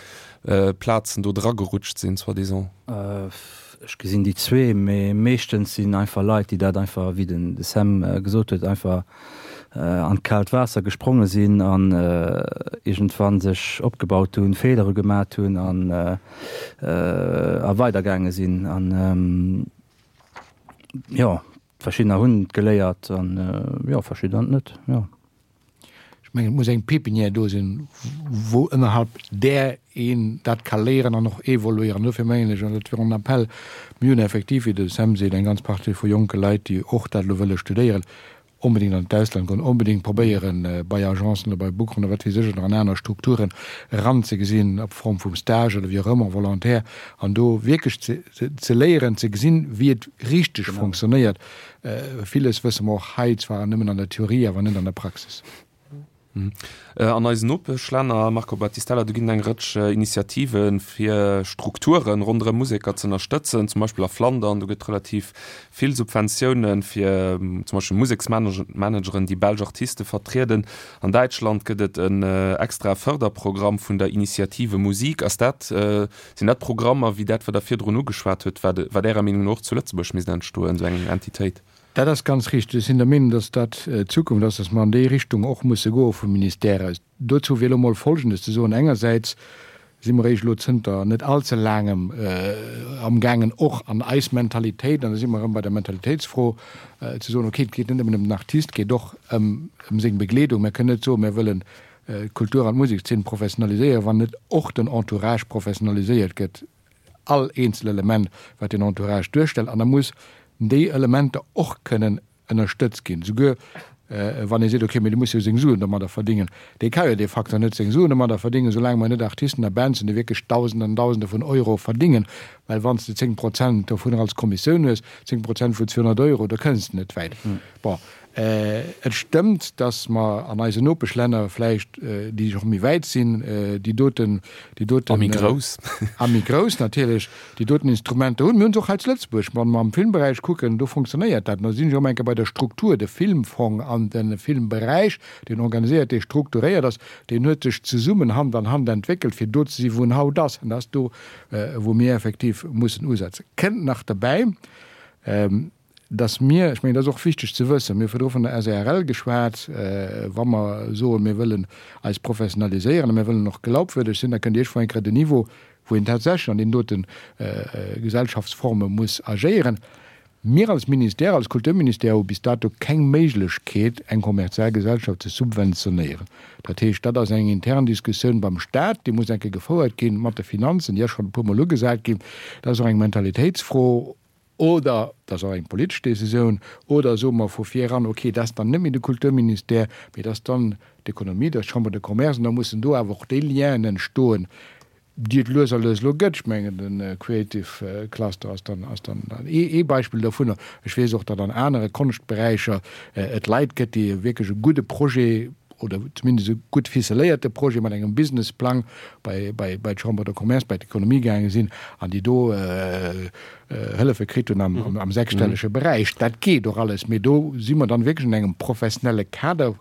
Speaker 2: Plazen do dragerutscht sinn, soi-disant?
Speaker 5: Ech gesinn déi zwee, mee meeschtens sinn einfach Leit, déi dat einfach, wéi den Sam gesot huet, einfach an d'kaalt Waasser gespronge sinn an iergendwann sech opgebaut hunn, Feelere gemat hunn an a weidergaange sinn. An jo, verschiddener hunn et geléiert an jo, verschiddener net, jo.
Speaker 6: Ech mengen, et muss eng Pépinière do sinn, wou ënnerhalb där een dat ka léieren an och evoluéieren. Dofir mengen ech, an dat wier en Appell, mir hunn effektiv, wéi de Sam seet, eng ganz Partie vu jonke Leit, déi och dat elo wëlle studéieren, onbedéngt an d'Ausland goen, onbedéngt probéieren, bei Agencen oder bei Bookeren oder wat weess ech oder an aner Strukturen eranzegesinn, op Form vum Stage oder wéi och ëmmer, Volontaire, an do wierklech ze léieren, ze gesinn, wéi et richteg fonctionnéiert. Villes wësse mer och hei zwar nëmmen an der Theorie, awer net an der Praxis.
Speaker 2: An eisen Nopeschlänner, Marco Battistella, do ginn et eng Rëtsch Initiative fir Strukture ronderëm Museker ze ënnerstëtzen, zum Beispill a Flandern, do gëtt relativ vill Subventioune fir zum Beispill Museksmanageren, déi belsch Artiste vertrieden. An Däitschland gëtt et en extrae Fërderprogramm vun der Initiative Musik. Ass dat, sinn dat Programmer wéi dat, wat Der virdrun ugeschwat hutt, wat, wat Ärer Meenung no och zu Lëtzebuerg misst entstoen, esou eng Entitéit?
Speaker 6: Dat ass ganz richteg. Ech sinn der Meenung, dass dat d'Zukunft ass, dass mer an déi Richtung och musse goe vum Ministère aus. Dozou wier elo emol Folgendes ze soen, Engersäits si mer eréischt elo zënter net allze laangem amgaangen, och an eis Mentalitéit, an da si mer erëm bei der Mentalitéitsfro, ze soen, okay, et geet net nëmmen ëm den Artist, et geet och ëm seng Begleedung. Mer kënnen net soen, mer wëllen d'Kultur an d'Musekszeen professionaliséieren, wann net och den Entourage professionaliséiert gëtt. all eenzel Element, wat deen Entourage duerstellt, an da muss déi Elementer och kënnen ënnerstëtzt ginn, souguer wann ee seet, okay, mee dee muss jo seng Suen domadder verdingen. Dee ka jo de facto net seng Suen domadder verdingen, soulaang mer net Artisten a Bands hunn, déi wierklech Dausenden an Dausende vun Euro verdingen, well wann s de 10 Prozent dovunner als Kommissioun hues, 10 Prozent vun 200 Euro, da kënns de net wäit. Bon, et stëmmt, datt mer an eisen Nopeschlänner vläicht, déi och méi wäit sinn, déi doten, déi doten.
Speaker 2: A méi grouss.
Speaker 6: A méi grouss natierlech, déi doten Instrumenter hunn. Mir hunn se och hei zu Lëtzebuerg. Wa mer am Filmberäich kucken, do fonctionnéiert dat. An da sinn ech erëm eng Kéier bei der Struktur. De Filmfong an de Filmberäich, deen organiséiert, dee strukturéiert ass, deen huet sech zesummen Hand an Hand entwéckelt, fir do ze sinn, wou en haut ass. An dat ass do, wou mir effektiv mussen usetzen. Kënnt nach derbäi. Dass mir, ech mengen, dat ass och wichteg ze wëssen, mir hu virdru vun der SARL geschwat, wa mer soen, mir wëllen eis professionaliséieren a mir wëllen och glaubwürdeg sinn, da kënnt iergendwou eng Kéier den Niveau, wou een tatsächlech an deenen dote Gesellschaftsforme muss agéieren. Mir als Ministère, als Kulturministère hu bis dato keng Méiglechkeet, eng kommerziell Gesellschaft ze subventionéieren. Dat heescht, dat ass eng intern Diskussioun beim Stat, déi muss eng Kéier gefouert gi mat de Finanzen, déi ass schonn e puermol ugesat ginn. Dat ass och eng Mentalitéitsfro oder dat ass och eng politesch Décisioun. Oder soe mer vu vir eran, okay, dat ass dann net méi de Kulturministère, mee dat ass dann d'Ekonomie, dat ass d'Chambre de Commerce, an da mussen do awer och déi Lienen entstoen, déi et lues a lues elo gëtt. Ech mengen, de Creative Cluster ass dann, ass dann ee Beispill dovunner. Ech weess och, datt an anere Konschtberäicher et Leit gëtt, déi wierklech e gudde Projet oder zumindest e gutt ficeléierte Projet mat engem Businessplang bei, bei, bei d'Chambre de Commerce, bei d'Ekonomie gaange sinn an déi do Hëllefe kritt hunn am, am sechsstellege Beräich. Dat geet och alles, mee do si mer dann wierklech an engem professionelle Kader,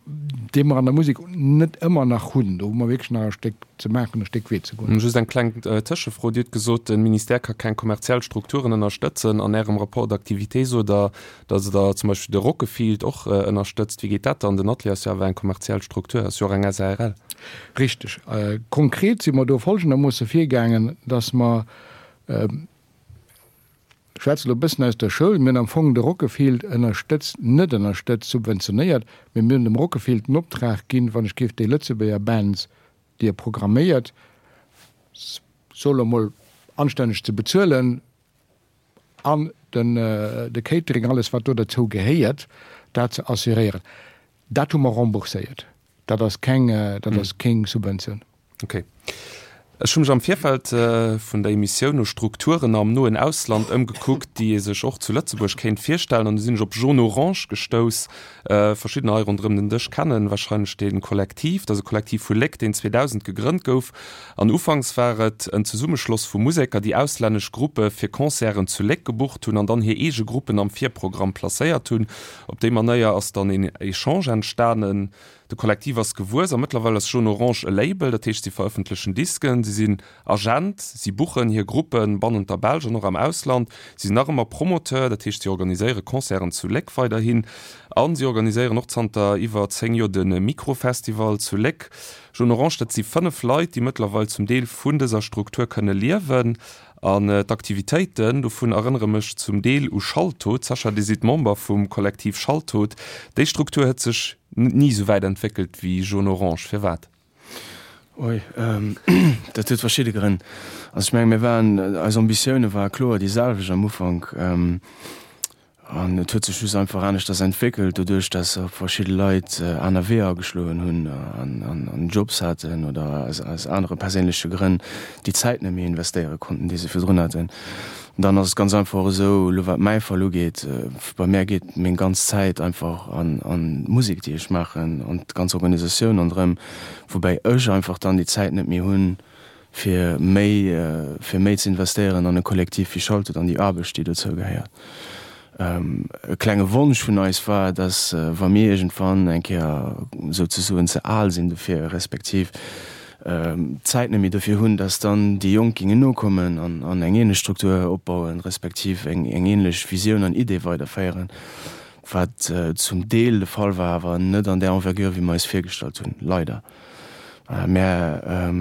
Speaker 6: dee mer an der Musek net ëmmer nach hunn. Do hu mer wierklech nach e Stéck ze maachen, e Stéck Wee ze goen.
Speaker 2: Just eng kleng Tëschefro. Dir hutt gesot, de Ministère ka keng kommerziell Strukturen ënnerstëtzen. An Ärem Rapport d'activité sot Der, datt Der zum Beispill de Rockefield och ënnerstëtzt. Wéi geet dat dann? Den Atelier ass jo awer eng kommerziell Struktur, ass jo och eng SARL.
Speaker 6: Richteg. Konkret si mer do folgendermoosse virgaangen, datt mer, Ech schwätze elo e bëssen aus der Schoul. Mir hunn am Fong de Rockefield ënnerstëtzt, net ënnerstëtzt, subventionéiert, mee mir hunn dem Rockefield den Optrag ginn, wann ech géif déi Lëtzebuerger Bands, déi e programméiert, soe lo mol, anstänneg ze bezuelen an den de Catering, alles wat do derzou gehéiert, dat ze assuréieren. Dat hu mer rembourséiert. Dat ass keng, dat ass keng Subventioun.
Speaker 2: Ok. Ech hu mech am Virfeld vun der Emissioun no Strukturen am noen Ausland ëmgekuckt, déi ee sech och zu Lëtzebuerg kéint virstellen, an du sinn ech op Jaune Orange gestouss. Verschiddener hei ronderëm den Dësch kennen warscheinlech dee Kollektiv. Dat ass e Kollektiv vu Léck, deen 2000 gegrënnt gouf. An ufanks war et en Zesummeschloss vu Museker, déi auslännesch Gruppe fir Concerten zu Léck gebucht hunn an dann hir eege Gruppen am Virprogramm placéiert hunn. Op déi Manéier ass dann een Echange entstanen. De Kollektiv ass gewuess a mëttlerweil ass Jaune Orange e Label, dat heescht si verëffentlechen Disken, si sinn Agent, si buchen hir Gruppe bannent der Belsch an och am Ausland, si sinn nach ëmmer Promoteur, dat heescht si organiséiere Concerten zu Léck weiderhin a si organiséieren och zanter iwwer 10 Joer de Microfestival zu Léck. Jaune Orange, dat si 5 Leit, déi mëttlerweil zum Deel vun dëser Struktur kënne liewen. An d'Aktivitéiten dovun erënnere mech zum Deel u Schalltod. Sascha, Dir sidd Member vum Kollektiv Schalltod. Déi Struktur huet sech ni esou wäit entwéckelt wéi Jaune Orange. Firwat?
Speaker 3: Oi, dat huet verschidde Grënn. Also ech menge mir waren, eis Ambitioune ware kloer déi selwecht am Ufank. An et huet sech just einfach aneschters entwéckelt, doduerch datt och verschidde Leit aner Weeër ageschloen hunn an Jobs haten oder aus anere perséinleche Grënn déi Zäit net méi investéiere konnten, déi se virdrun haten. Dann ass et ganz einfach och esou, elo wat mäi Fall ugeet, bei mär geet meng ganz Zäit einfach an d'Musek, déi ech maachen, an d'ganz Organisatioun ronderëm, woubäi ech einfach dann déi Zäit net méi hunn, fir méi fir méi ze investéieren an e Kollektiv wéi Schaltert an déi Aarbecht, déi dozou gehéiert. E klenge Wonsch vun eis war, dass wa mir iergendwann eng Kéier souzesoen ze al sinn dofir, respektiv d'Zäit net méi dofir hunn, dass dann déi Jonk géingen nokommen an an eng ähnlech Struktur opbauen, respektiv eng eng ähnlech Visioun an Idee weiderféieren, wat zum Deel de Fall war, awer net an där Envergure wéi mer eis virgestallt hunn, leider. Mär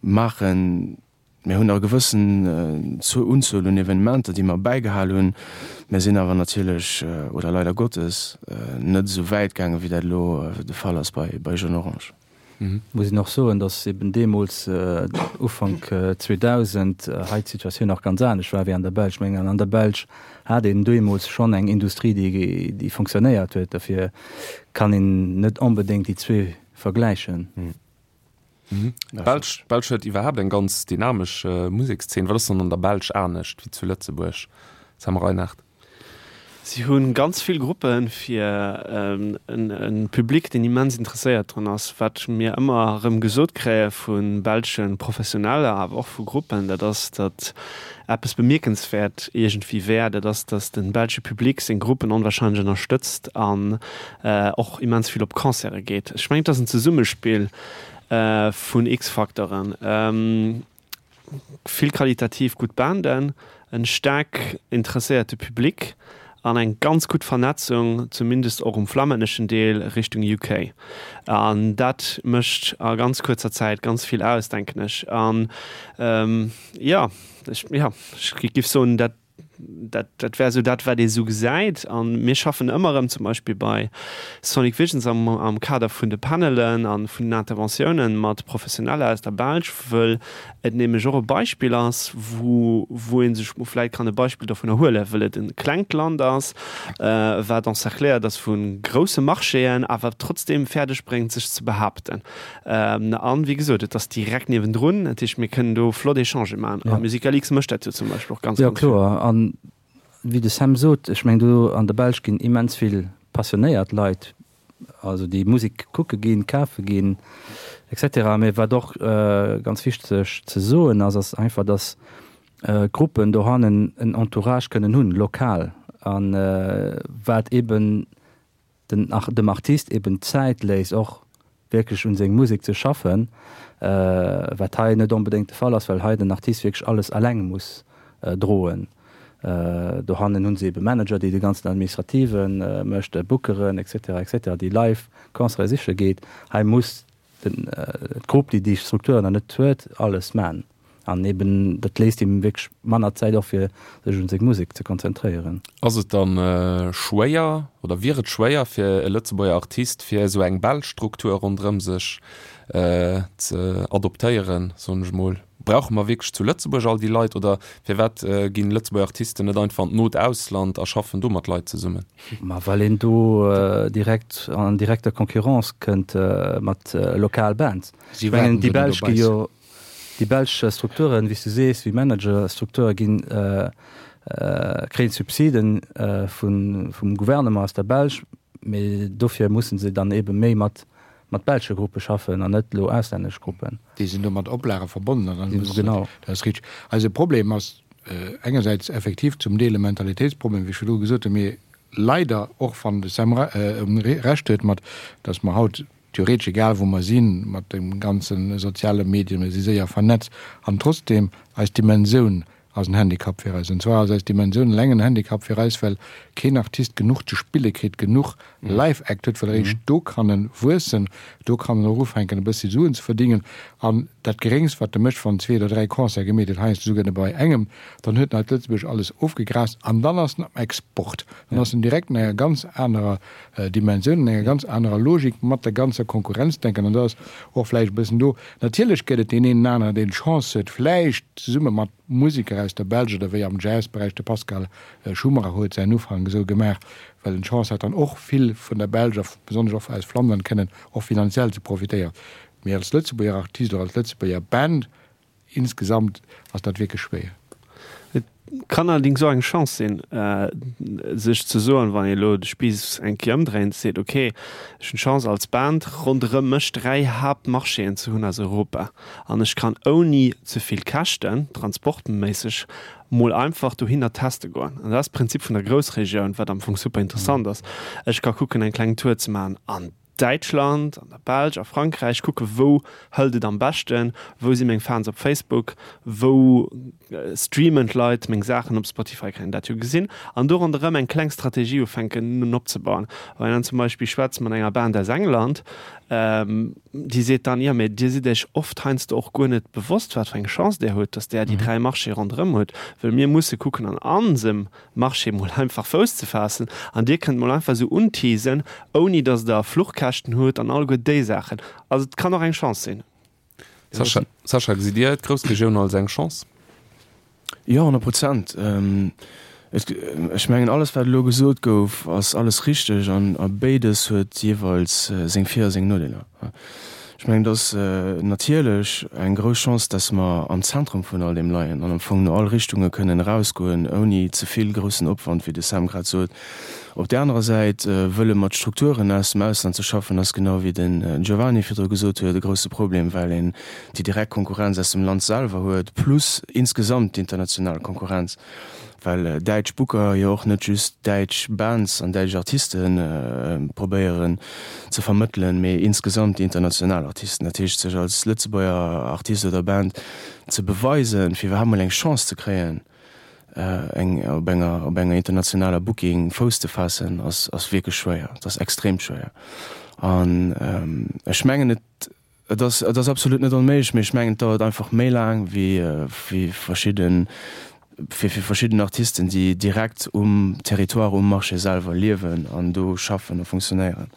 Speaker 3: maachen, mär hunn nach e gewëssen Unzuel un Evenementer, déi mer bäigehal hunn. Mär sinn awer natierlech, oder leider Gottes, net esou wäit gaangen, wéi dat elo de Fall ass bei Jaune Orange.
Speaker 5: Muss een och soen, datt eben deemools, Ufank 2000, hei d'Situatioun nach ganz anescht war wéi an der Belsch. Ech mengen, an der Belsch hat een deemools schonn eng Industrie, déi fonctionnéiert huet. Dofir kann een net onbedéngt déi zwee vergläichen.
Speaker 2: D'Belsch, d'Belsch huet iwwerhaapt eng ganz dynamesch Musekszeen. Wat ass dann an der Belsch anescht wéi zu Lëtzebuerg, Sam Reinard?
Speaker 4: Si hu ganz vill Gruppe fir e Public, deen immens interesséiert drun ass. Wat mir ëmmer erëm gesot kréie vu belsche Professioneller, awer och vu Gruppen, dat ass, datt eppes bemierkenswäert iergendwéi wär, dat ass, datt de belsche Public seng Gruppen onwahrscheinlech ënnerstëtzt an och immens vill op Concerte geet. Ech mengen, et ass en Zesummespill vun X-Facteuren, vill qualitativ gutt Banden, en staark interesséierte Public. An eng ganz gutt Vernetzung, zumindest och um flammänneschen Deel, Richtung UK. An dat mécht a ganz kuerzer Zäit ganz vill aus, denken ech. An jo, ech, jo, ech giff soen, dat, dat, dat wär esou dat, wat ee sou gesäit. A mir schaffen ëmmer erëm zum Beispill bei Sonic Visions am, am Kader vun de Panelen a vun den Interventiounen mat Professioneller aus der Belsch, wëll et nämlech och e Beispill ass, wou, wou ee sech vläit kann e Beispill dovunner huelen, wëll et e klengt Land ass, wat encercléiert ass vu grousse Marchéen, awer trotzdeem fäerdeg bréngt, sech ze behaapten. An, wéi gesot, et ass direkt niewendrun, dat heescht, mir kënnen do flott Echangë maachen. A Musicalix mécht dat jo zum Beispill och ganz,
Speaker 5: ganz vill. Jo, kloer. An wéi de Sam sot, ech mengen, do an der Belsch ginn immens vill passionéiert Leit, also déi Musek kucke ginn, kafe ginn, etc. Mee wat och ganz wichteg ze soen ass, ass einfach, dass d'Gruppen dohannen en Entourage kënnen hunn, lokal, a wat eeben den dem Artist eben d'Zäit léisst och wierklech un seng Musek ze schaffen, wat hei net onbedéngt de Fall ass, well hei den Artist wierklech alles alleng muss droen. Dohannen hunn se ebe Manager, déi de ganzen Administrative mécht, Bookeren etc etc, déi live Concerte siche geet. Hei muss den d'Grupp, déi déi Strukturen nach net huet, alles man. An eben dat léisst him wierklech manner Zäit och fir sech un seng Musek ze konzentréieren.
Speaker 2: Ass et dann schwéier oder wier et schwéier fir e Lëtzebuerger Artist fir esou eng belsch Struktur ronderëm sech ze adoptéieren, soen ech mol? Brauche mer wierklech zu Lëtzebuerg all déi Leit oder firwat ginn Lëtzebuerger Artisten net einfach an d'not Ausland a schaffen do mat Leit zesummen?
Speaker 5: Ma well een do direkt an direkter Concurrence kënnt mat lokal Bands. Ech mengen déi belsch gi jo Déi belsch Strukturen, wéi s du sees, wéi Managerstrukture ginn, kréien Subsiden vum Gouvernement aus der Belsch, mee dofir musse se dann eebe méi mat belsche Gruppe schaffen an net elo auslännesch Gruppen.
Speaker 6: Déi sinn do mat Oplage verbonnen an dann musse se, dat ass richteg. Eise Problem ass engersäits effektiv zum Deel e Mentalitéitsproblem, wéi ech virdru gesot hunn, mee leider och, wann de Sam Recht huet mat, datt mer haut Theoretesch egal wou mer sinn, mat de ganze soziale Medien, mir si séier vernetzt an trotzdeem, eis Dimensioun ass en Handicap fir eis. An zwar ass eis Dimensioun eleng en Handicap fir eis, well keen Artist genuch ze spille kritt, genuch Live-Act huet, well eréischt do kann e wuessen, do kann en och ufänken e bëssi Suen ze verdingen. An dat Geréngst wat e mécht, wann en zwee oder dräi Concerte gemeet huet, heiansdo souguer nëmme bei engem, dann huet en hei d'Lëtzebuerg alles ofgegraast an dann ass en am Export, dann ass en direkt an enger ganz anerer Dimensioun, an enger ganz anerer Logik mat der ganzer Konkurrenz denken. An do ass och vläicht e bëssen do, natierlech gëtt et deen een an aneren, deen d'Chance huet, vläicht zesumme mat Museker aus der Belsch oder wéi am Jazzberäich, de Pascal Schumacher huet säin Ufank esou gemaach, well en d'Chance hat dann och vill vun der Belsch a besonnesch och aus Flandern kënnen och finanziell ze profitéieren. Mee als Lëtzebuerger Artist oder als Lëtzebuerger Band Insgesamt ass dat wierklech schwéier.
Speaker 4: Et kann allerdings och eng Chance sinn, sech ze soen, wann ee elo de Spiiss eng Kéier ëmdréint, seet, ok, ech hunn d'Chance als Band ronderëm mech 3 Haaptmarchéen ze hunn aus Europa an ech kann ouni ze vill Käschten, transportméisseg, mol einfach dohinner teste goen. An dat ass d'Prinzip vun der Groussregioun, wat am Fong super interessant ass. Ech ka kucken eng kleng Tour ze maachen an Däitschland, an der Belsch, a Frankräich, kucke wou hëlt et am beschten, wou si meng Fans op Facebook, wou streamen d'Leit meng Saachen op Spotify, kann een dat jo gesinn, an do ronderëm eng kleng Strategie ufänken opzebauen. Wann een dann zum Beispill schwätzt mat enger Band aus England, déi seet dann, jo mee dir sidd iech oft heiansdo och guer net bewosst, wat fir eng Chance där hutt, datt där déi 3 Marchéë ronderëm hutt, well mir musse kucken an onsem Marché mol einfach Fouss ze faassen an dir kënnt mol einfach esou unteasen, ouni dass der Fluchkäschten hutt an alleguer déi Saachen. Also et kann och eng Chance sinn.
Speaker 2: Sascha, Sascha, gesitt Dir d'Groussregioun als eng Chance?
Speaker 3: Jo, 100 Prozent. Ech mengen, alles wat elo gesot gouf, ass alles richteg an a béides huet jeeweils seng Vir a seng Nodeeler. Ech mengen, et ass natierlech eng grouss Chance, dass mer am Zentrum vun all deem leien an am Fong no all Richtunge kënnen erausgoen, ouni ze vill groussen Opwand, wéi de Sam grad sot. Op där anerer Säit, wëlle mat Strukturen aus dem Ausland ze schaffen, ass, genau wéi den Giovanni virdru gesot huet, e grousse Problem, well een déi direkt Konkurrenz aus dem Land selwer huet, plus insgesamt d'international Konkurrenz. Well däitsch Booker jo och net just däitsch Bands an däitsch Artiste probéieren ze vermëttelen, mee insgesamt déi international Artisten. Dat heescht, sech als Lëtzebuerger Artist oder Band ze beweisen, fir iwwerhaapt mol eng Chance ze kréien. Eng op enger op enger internationaler Booking Fouss ze faassen ass ass wierklech schwéier. Et ass extrem schwéier. An ech mengen et et ass et ass absolut net onméiglech, mee ech mengen et dauert einfach méi laang wéi wéi verschidden fir fir verschidden Artisten déi direkt um Territoire, um Marché selwer liewen an do schaffen a funktionéieren.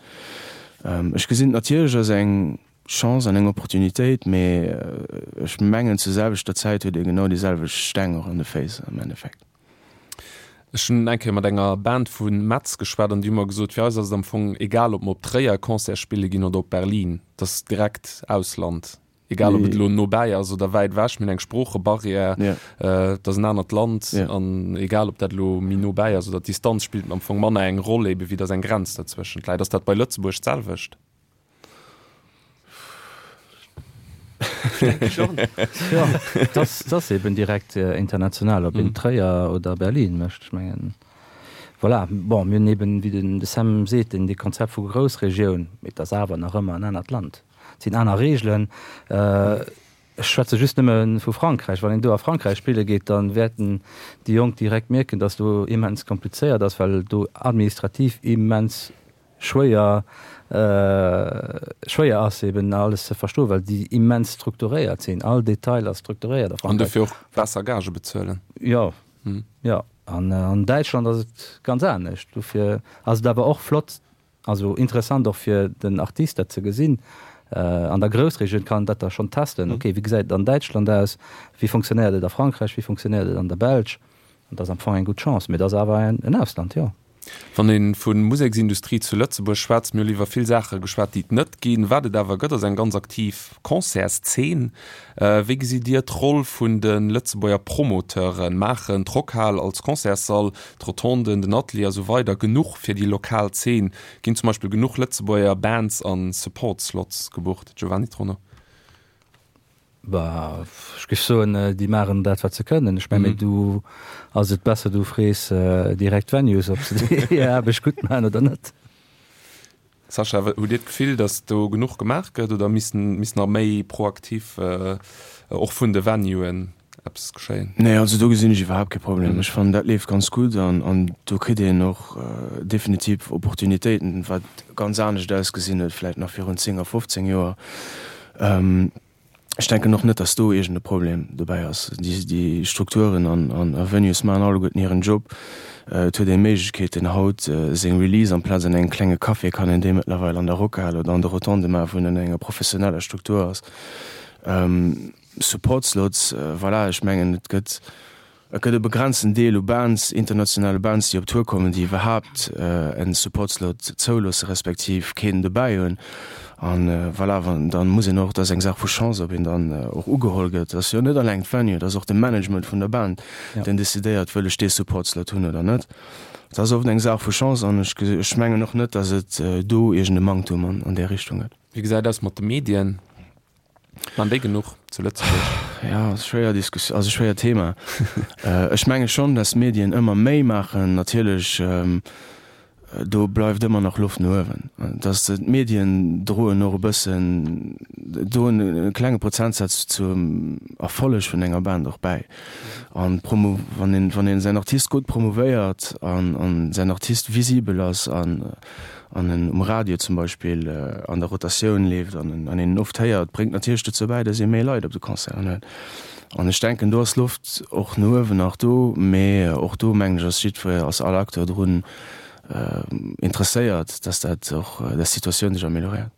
Speaker 3: Ech gesinn et natierlech als eng Chance an eng Opportunitéit, mee ech mengen zur selwechter Zäit huet ee genau déi selwecht Steng och an de Féiss am Endeffekt.
Speaker 2: Ech hunn eng Kéier mat enger Band vu Metz geschwat an déi hu mer gesot, fir eis ass et am Fong egal, ob mer op Tréier Concert spille ginn oder op Berlin, et ass direkt Ausland, egal ob et elo no bäi ass oder wäit ewech, mir hunn eng Sproochebarrière, et ass en anert Land an egal ob dat elo méi no bäi ass oder d'Distanz spillt am Fong manner eng Roll ebe wéi datt eng Grenz dazwëschent läit. Ass dat bei Lëtzebuerg d'selwecht?
Speaker 5: Dat ass eben direkt international, ob een Tréier oder Berlin mécht. Ech mengen, voilà. Bon, mir hunn eben, wéi den de Sam seet, deen dee Konzept vu Groussregioun, mee et ass awer nach ëmmer en anert Land, et sinn aner Regeln. Ech schwätze just nëmme vu Frankräich. Wann een do a Frankräich spille geet, da wäerten déi Jonk direkt mierken, datt do immens komplizéiert ass, well do administrativ immens schwéier schwéier ass eben alles ze verstoen, well déi immens strukturéiert sinn. All Detail ass strukturéiert
Speaker 2: a Frankräich. An dofir och besser Gage bezuelen.
Speaker 5: Jo, jo. An an Däitschland ass et ganz anescht. Dofir ass et awer och flott, also interessant och fir den Artist dat ze gesinn. An der Groussregioun kann en dat da schonn testen, ok, wéi gesäit et an Däitschland aus, wéi fonctionnéiert et a Frankräich, wéi fonctionnéiert et an der Belsch. An dat ass am Fong eng gutt Chance, mee et ass awer en Ausland, jo.
Speaker 2: Wann ee vu Museksindustrie zu Lëtzebuerg schwätzt, mir hunn iwwer vill Saache geschwat, déi et net ginn. Wat et awer gëtt, ass eng ganz aktiv Concertszeen. Wéi gesitt Dir d'Roll vun de Lëtzebuerger Promoteuren? Maachen d'Rockhal als Concertssall, d'Rotonden, den Atelier a sou weider genuch fir déi lokal Zeen? Ginn zum Beispill genuch Lëtzebuerger Bands a Support-Slots gebucht? Giovanni Trono.
Speaker 5: Bah, ech géif soen, déi maachen dat, wat se kënnen. Ech mengen, mee du ass et besser, du frees direkt d'Venues, ob se hir Aarbecht gutt maachen oder net.
Speaker 2: Sascha, hutt Dir d'Gefill, datt do genuch gemaach gëtt oder misst misst nach méi proaktiv och vun de Venuen eppes geschéien?
Speaker 3: Nee, also do gesinn ech iwwerhaapt kee Problem. Ech fannen, dat leeft ganz gutt an an do kritt een och definitiv Opportunitéiten, wat ganz anescht ausgesinn huet vläicht nach virun 10 a 15 Joer. Ech denken och net, datt do iergend e Problem dobäi ass. Déi Strukturen an Venues maachen alleguerten hiren Job. Et huet ee Méiglechkeeten haut seng Release amplaz an engem klenge Café kann een déi mëttlerweil an der Rockhal oder an de Rotonde maachen, wou en an enger professioneller Struktur ass. Support Slots, voilà, ech mengen et gëtt Et gëtt e begrenzten Deel u Bands, internationale Bands, déi op Tour kommen, déi iwwerhaapt en Support-Slot zouloosse respektiv keen dobäi hunn. An voilà, wann, dann muss een och, dat ass eng Saach vu Chance, ob een dann och ugeholl gëtt. Dat ass jo net alleng d'Venue, dat ass och de Management vun der Band, deen decidéiert, wëll ech dee Support-Slot hunn oder net. Dat ass oft eng Saach vu Chance an ech, ech mengen och net, datt et do iergend e Manktum an där Richtung gëtt.
Speaker 2: Wéi gesäit aus mat de Medien? Maan déi genuch zu Lëtzebuerg?
Speaker 3: Ja, ass schwéier Diskus, ass e schwéiert Thema. Ech menge schonn, dass d'Medien ëmmer méi maachen. Natierlech, do bleift ëmmer nach Loft no uewen. Dass d'Medien droen och e bëssen, droen e klenge Prozentsaz zum Erfolleg vun enger Band och bäi. An d'Promo, wann een, wann een säin Artist gutt promouvéiert an, an säin Artist visibel ass an, an en um Radio zum Beispill an der Rotatioun leeft an en an een en oft héiert, bréngt natierlech dozou bäi, dass ee méi Leit op de Concerten huet. An ech denken, do ass Loft och no uewen nach do, mee och do mengen ech ass jiddwer, ass all Acteur drun interesséiert, dass dat och, dass d'Situatioun sech amélioréiert.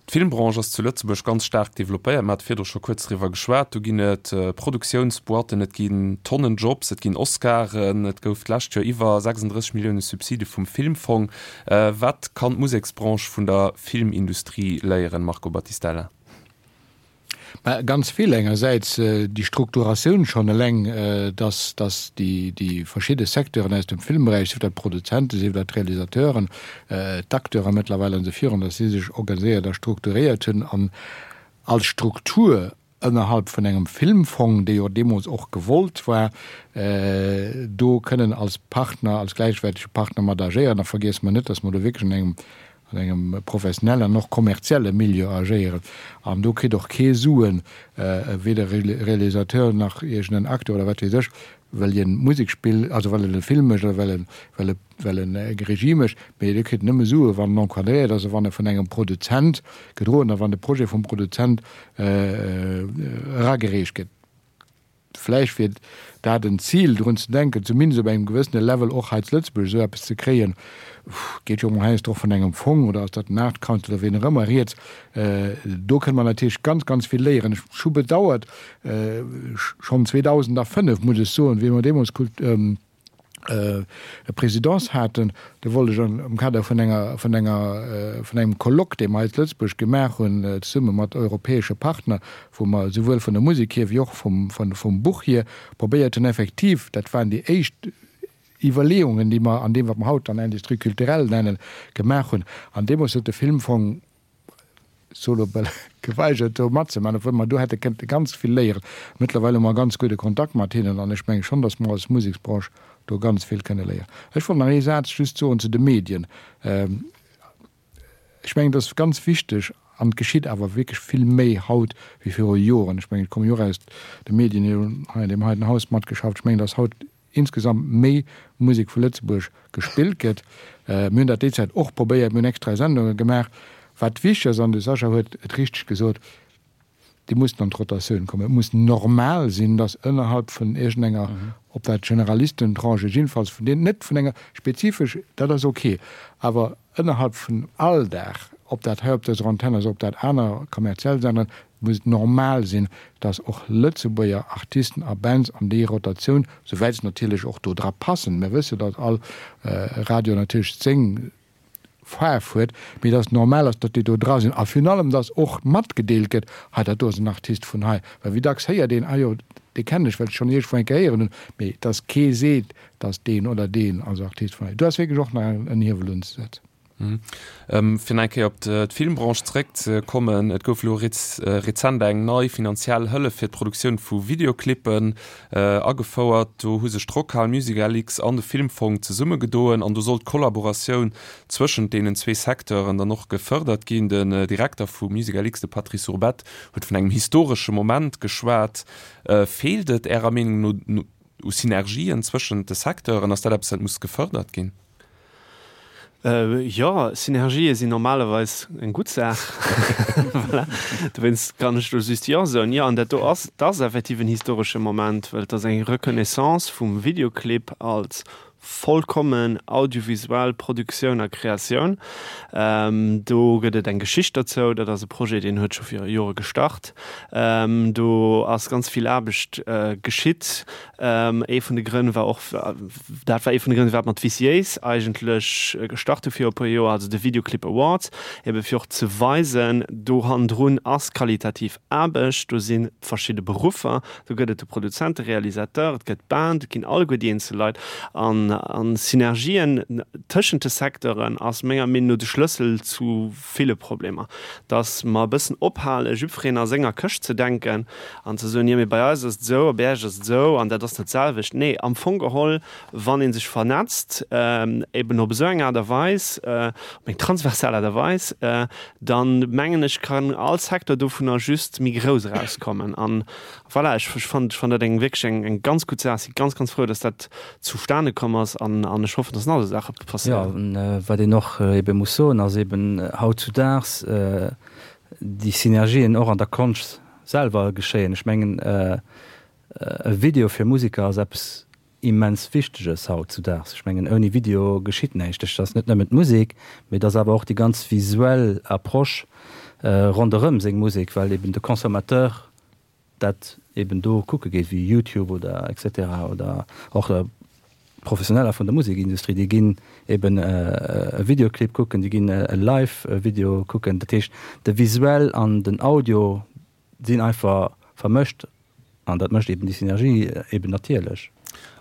Speaker 2: D'Filmbranche ass zu Lëtzebuerg ganz staark developpéiert. Mer hate virdru scho kuerz driwwer geschwat. Do ginn et Produktiounsboîten, et ginn Tonnen Jobs, et ginn Oscaren, et gouf d'lescht Joer iwwer 36 Millioune Subside vum Filmfong. Wat kann d'Museksbranche vun der Filmindustrie léieren, Marco Battistella?
Speaker 6: Mä ganz vill. Engersäits déi Strukturatioun schonn eleng, dass, dass déi, déi verschidde Secteuren aus dem Filmberäich, sief dat d'Produzenten, sief dat d'Realisateuren, d'Acteuren mëttlerweil an esou virun, dass si sech organiséiert a strukturéiert hunn an als Struktur ënnerhalb vun engem Filmfong, dee jo deemools och gewollt war, do kënnen als Partner, als gläichwäertege Partner mat agéieren. A vergiesse mer net, dass mer do wierklech an engem. An engem professionellen an och kommerzielle Milieu agéieren. An do kritt och kee Suen, weder Realisateur nach iergend en Acteur oder wat weess ech, well hien Musek spillt, also well en e Film mécht oder well en, well e, well en eng Regie mécht, mee dee kritt nëmme Sue wann en encadréiert ass a wann e vun engem Produzent gedroen a wann de Projet vum Produzent eragereecht gëtt. Vläicht wier dat en Zil, drun ze denken, zumindest op engem gewëssene Level och hei zu Lëtzebuerg esou eppes ze kréien. Geet jo emol heiansdo och vun engem Fong oder ass dat den Art Council oder wien och ëmmer rieds. Do kënne mer natierlech ganz, ganz vill léieren. Ech hu bedauert, schonn 2005, muss ech soen, wéi mer deemools Présidence haten, do wollt ech am Kader vun enger, vun enger, vun engem Colloque, dee mer hei zu Lëtzebuerg gemaach hunn, zesumme mat europäesche Partner, wou mer souwuel vun der Musek hier wéi och vum, vun, vum Buch hier probéiert hunn effektiv, dat waren déi éischt Iwwerleeungen, déi mer an deem, wat mer haut dann Industrie culturelle nennen, gemaach hunn. An deemools huet de Filmfong solo bal geweigert do matzemaachen, obwuel mer do hätte kënnte ganz vill léieren. Mëttlerweil hu mer ganz gudde Kontakt mat hinnen an ech menge schonn, datt mer als Museksbranche do ganz vill kënne léieren. Ech wollt nach ee Saz just soen zu de Medien. Ech mengen, et ass ganz wichteg, an et geschitt awer wierklech vill méi haut wéi viru Joren, ech mengen, ech komme jo och aus de Medien, ech hunn hei an deem heiten Haus matgeschafft, ech mengen, datt haut insgesamt méi Musek vu Lëtzebuerg gespillt gëtt. Mir hunn dat déi Zäit och probéiert, mir hunn extra Sendunge gemaach. Wat wichteg ass, an de Sascha huet et richteg gesot, déi mussen an d'Rotatioun kommen. Et muss normal sinn, datt ënnerhalb vun iergendenger, ob dat Generalistentranche, jiddefalls vun deenen, net vun enger spezifesch, dat ass ok, awer ënnerhalb vun Alldag, ob dat hei op dëser Antenn ass, ob dat aner kommerziell Senderen, muss et normal sinn, dass och Lëtzebuerger Artisten a Bands an déi Rotatioun, souwäit se natierlech och do dra passen, mir wësse datt all Radio natierlech seng Faarf huet, mee dass et normal ass, datt déi do dra sinn a virun allem, dass och matgedeelt gëtt, hei dat do ass en Artist vun hei. Well wéi dacks héiert een, ah jo, dee kennen ech, well ech schonn iergendwou eng Kéier héieren hunn, mee dass kee seet, dass deen oder deen ass Artist vun hei. Do ass wierklech och nach en Hiewel unzesetzen.
Speaker 2: Fir nach eng Kéier op d'Filmbranche zeréckzekommen, Et gouf elo rezent eng nei finanziell Hëllef fir d'Produktioun vu Videoclippen agefouert. Do hu sech d'Rockhal, MusicLX an de Filmfong zesummegedoen an do soll d'Kollaboratioun zwëschent deenen zwee Secteuren dann och gefërdert ginn. Den Direkter vu MusicLX, de Patrice Urbette, huet vun engem historesche Moment geschwat. Feelt et Ärer Meenung no u Synergien zwëschent de Secteuren? Ass dat eppes, wat muss gefërdert ginn?
Speaker 4: Jo, Synergië sinn normalerweis eng gutt Saach. Voilà. Dowéinst kann ech do just Jo soen. Jo, an dat do ass, dat ass effektiv en historesche Moment, well et ass eng Reconnaissance vum Videoclip als vollkommen audiovisuell Produktioun a Kreatioun. Do gëtt et eng Geschicht dozou. Dat ass e Projet, deen huet scho viru Jore gestart. Do ass ganz vill Aarbecht geschitt. Ee vun de Grënn war och, dat war ee vun de Grënn, firwat mer d'VCAs eigentlech gestart hu viru e puer Joer, also de Videoclip Awards, ebe fir och ze weisen, do hannendrun ass qualitativ Aarbecht, do si verschidde Beruffer, do gëtt et de Produzent, de Realisateur, et gëtt d'Band, et ginn alleguer déi eenzel Leit. An Synergien tëschent de Secteuren ass menger Meenung no de Schlëssel zu ville Problemer, dass mer e bëssen ophale jiddwereen a senger Këscht ze denken an ze soen, jo mee bei eis ass et esou a bei Iech ass et esou an dat ass net d'selwecht. Nee, am Fong geholl, wann ee sech vernetzt, eben op esou eng Aart a Weis, op eng transversal Aart a Weis, dann mengen ech, kann all Secteur dovunner just méi grouss erauskommen. An Voilà, ech fannen ech fannen dat eng wierklech eng eng ganz gutt Saach. Si ganz ganz frou, dass dat zustane komm ass an an ech hoffen, dass nach esou Saache
Speaker 5: passéieren. Jo, wat een och ebe muss soen, ass eben hautzudaags déi Synergien och an der Konscht selwer geschéien. Ech mengen e Video fir Museker ass eppes immens Wichteges hautzudaags. Ech mengen, ouni Video geschitt näischt. Et ass net nëmmen d'Musek, mee et ass awer och déi ganz visuell Approche ronderëm seng Musek, well eben de Consommateur dat eben do kucke geet, wéi YouTube oder et cetera oder och Professioneller vun der Musekindustrie, déi ginn eben e Videoclip kucken, déi ginn e Live-Video kucken. Dat heescht, de Visuell an den Audio sinn einfach vermëscht an dat mécht eben déi Synergie eben natierlech.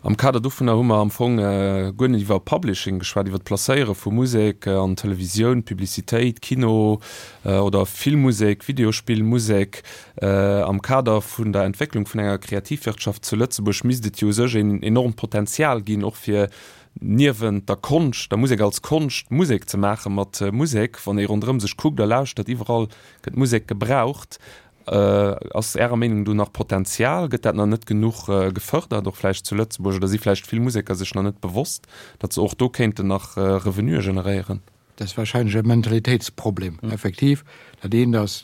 Speaker 2: Am Kader dovunner hu mer am Fong guer net iwwer Publishing geschwat, iwwer d'Placéiere vu Musek an Televisioun, Publicitéit, Kino oder Filmmusek, Videospillmusek. Am Kader vun der Entwécklung vun enger Kreativwirtschaft zu Lëtzebuerg misst et jo u sech een enormt Potenzial ginn, och fir niewent der Konscht, der Musek als Konscht, Musek ze maache mat Musek. Wann ee ronderëm sech kuckt a lauschtert, iwwerall gëtt Musek gebraucht. Ass Ärer Meenung do nach Potenzial? Gëtt dat nach net genuch gefërdert, och vläicht zu Lëtzebuerg? Oder si vläicht vill Museker sech nach net bewosst, datt se och do kéinten nach Revenuë generéieren?
Speaker 6: Dat ass warscheinlech e Mentalitéitsproblem, effektiv. Dat eent ass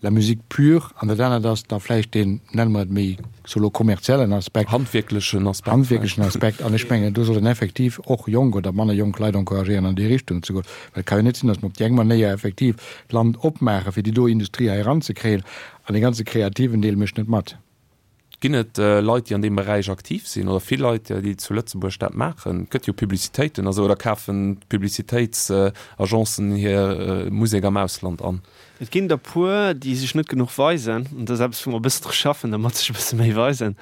Speaker 6: la musique pure an dat anert ass da vläicht deen, nenne mer et méi solo kommerziellen Aspekt.
Speaker 2: Handwierklechen Aspekt.
Speaker 6: Handwierklechen Aspekt. An ech mengen, do sollen effektiv och jonk oder manner jonk Leit encouragéieren, an déi Richtung ze goen. Well et ka jo net sinn, datt mer op déi eng Manéier effektiv d'Land opmaachen, fir déi do Industrie hei eranzekréien, an dee ganze kreativen Deel mécht net mat.
Speaker 2: Ginn et Leit, déi an deem Beräich aktiv sinn, oder vill Leit, déi zu Lëtzebuerg dat maachen? Et gëtt jo Publicitéiten a sou, oder kafen d'Publicitéitsagencen hir Musek am Ausland an?
Speaker 4: Et ginn der puer, déi sech net genuch weisen. An dat ass eppes, wou mer e bëssen dru schaffen, dermat sech e bësse méi weisen.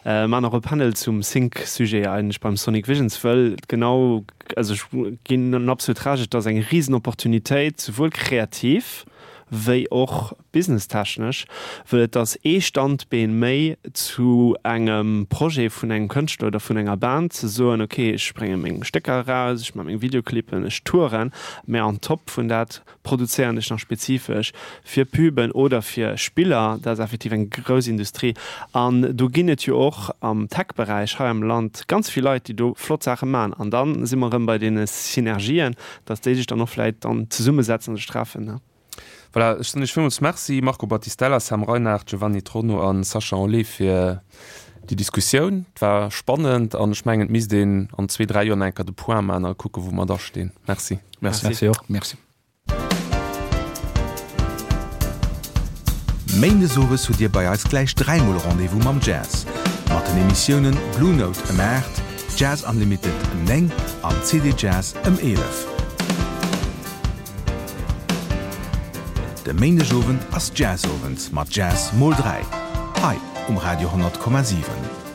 Speaker 4: Mer maachen och e Panel zum Sync-Sujet eigentlech beim Sonic Visions, wëll et genau, also ech ginn en absolut Recht, et ass eng Risenopportunitéit, souwuel kreativ wéi och businesstechnesch, wëll et ass ee Standbeen méi zu engem Projet vun engem Kënschtler oder vun enger Band, ze soen, ok, ech brénge meng Stécker eraus, ech maache meng Videoclippen, ech touren, mä on top vun dat produzéieren ech nach spezifesch fir Puben oder fir Spiller. Dat ass effektiv eng grouss Industrie. An do ginn et jo och am Tech-Beräich hei am Land ganz vill Leit, déi do flott Saache maachen. An da si mer erëm bei deene Synergien, dass déi sech dann och vläicht dann zesummesetzen a sech treffen.
Speaker 2: Voilà, ech soen Iech villmools Merci, Marco Battistella, Sam Reinard, Giovanni Tronno a Sascha Anlé fir déi Diskussioun. Et war spannend an ech mengen, et misst een an zwee, dräi Joer nach eng Kéier de Point maachen a kucken, wou mer da stinn. Merci.
Speaker 5: Merci. Merci och.
Speaker 6: Merci.
Speaker 7: Méindes owes hutt Dir bei eis gläich dräimol Rendez-vous mam Jazz. Mat den Emissiounen Blue Note ëm 8, Jazz Unlimited ëm 9 an CD Jazz ëm 11. De Méindegowend ass Jazzowend mat Jazz mol 3 hei um Radio 10,7.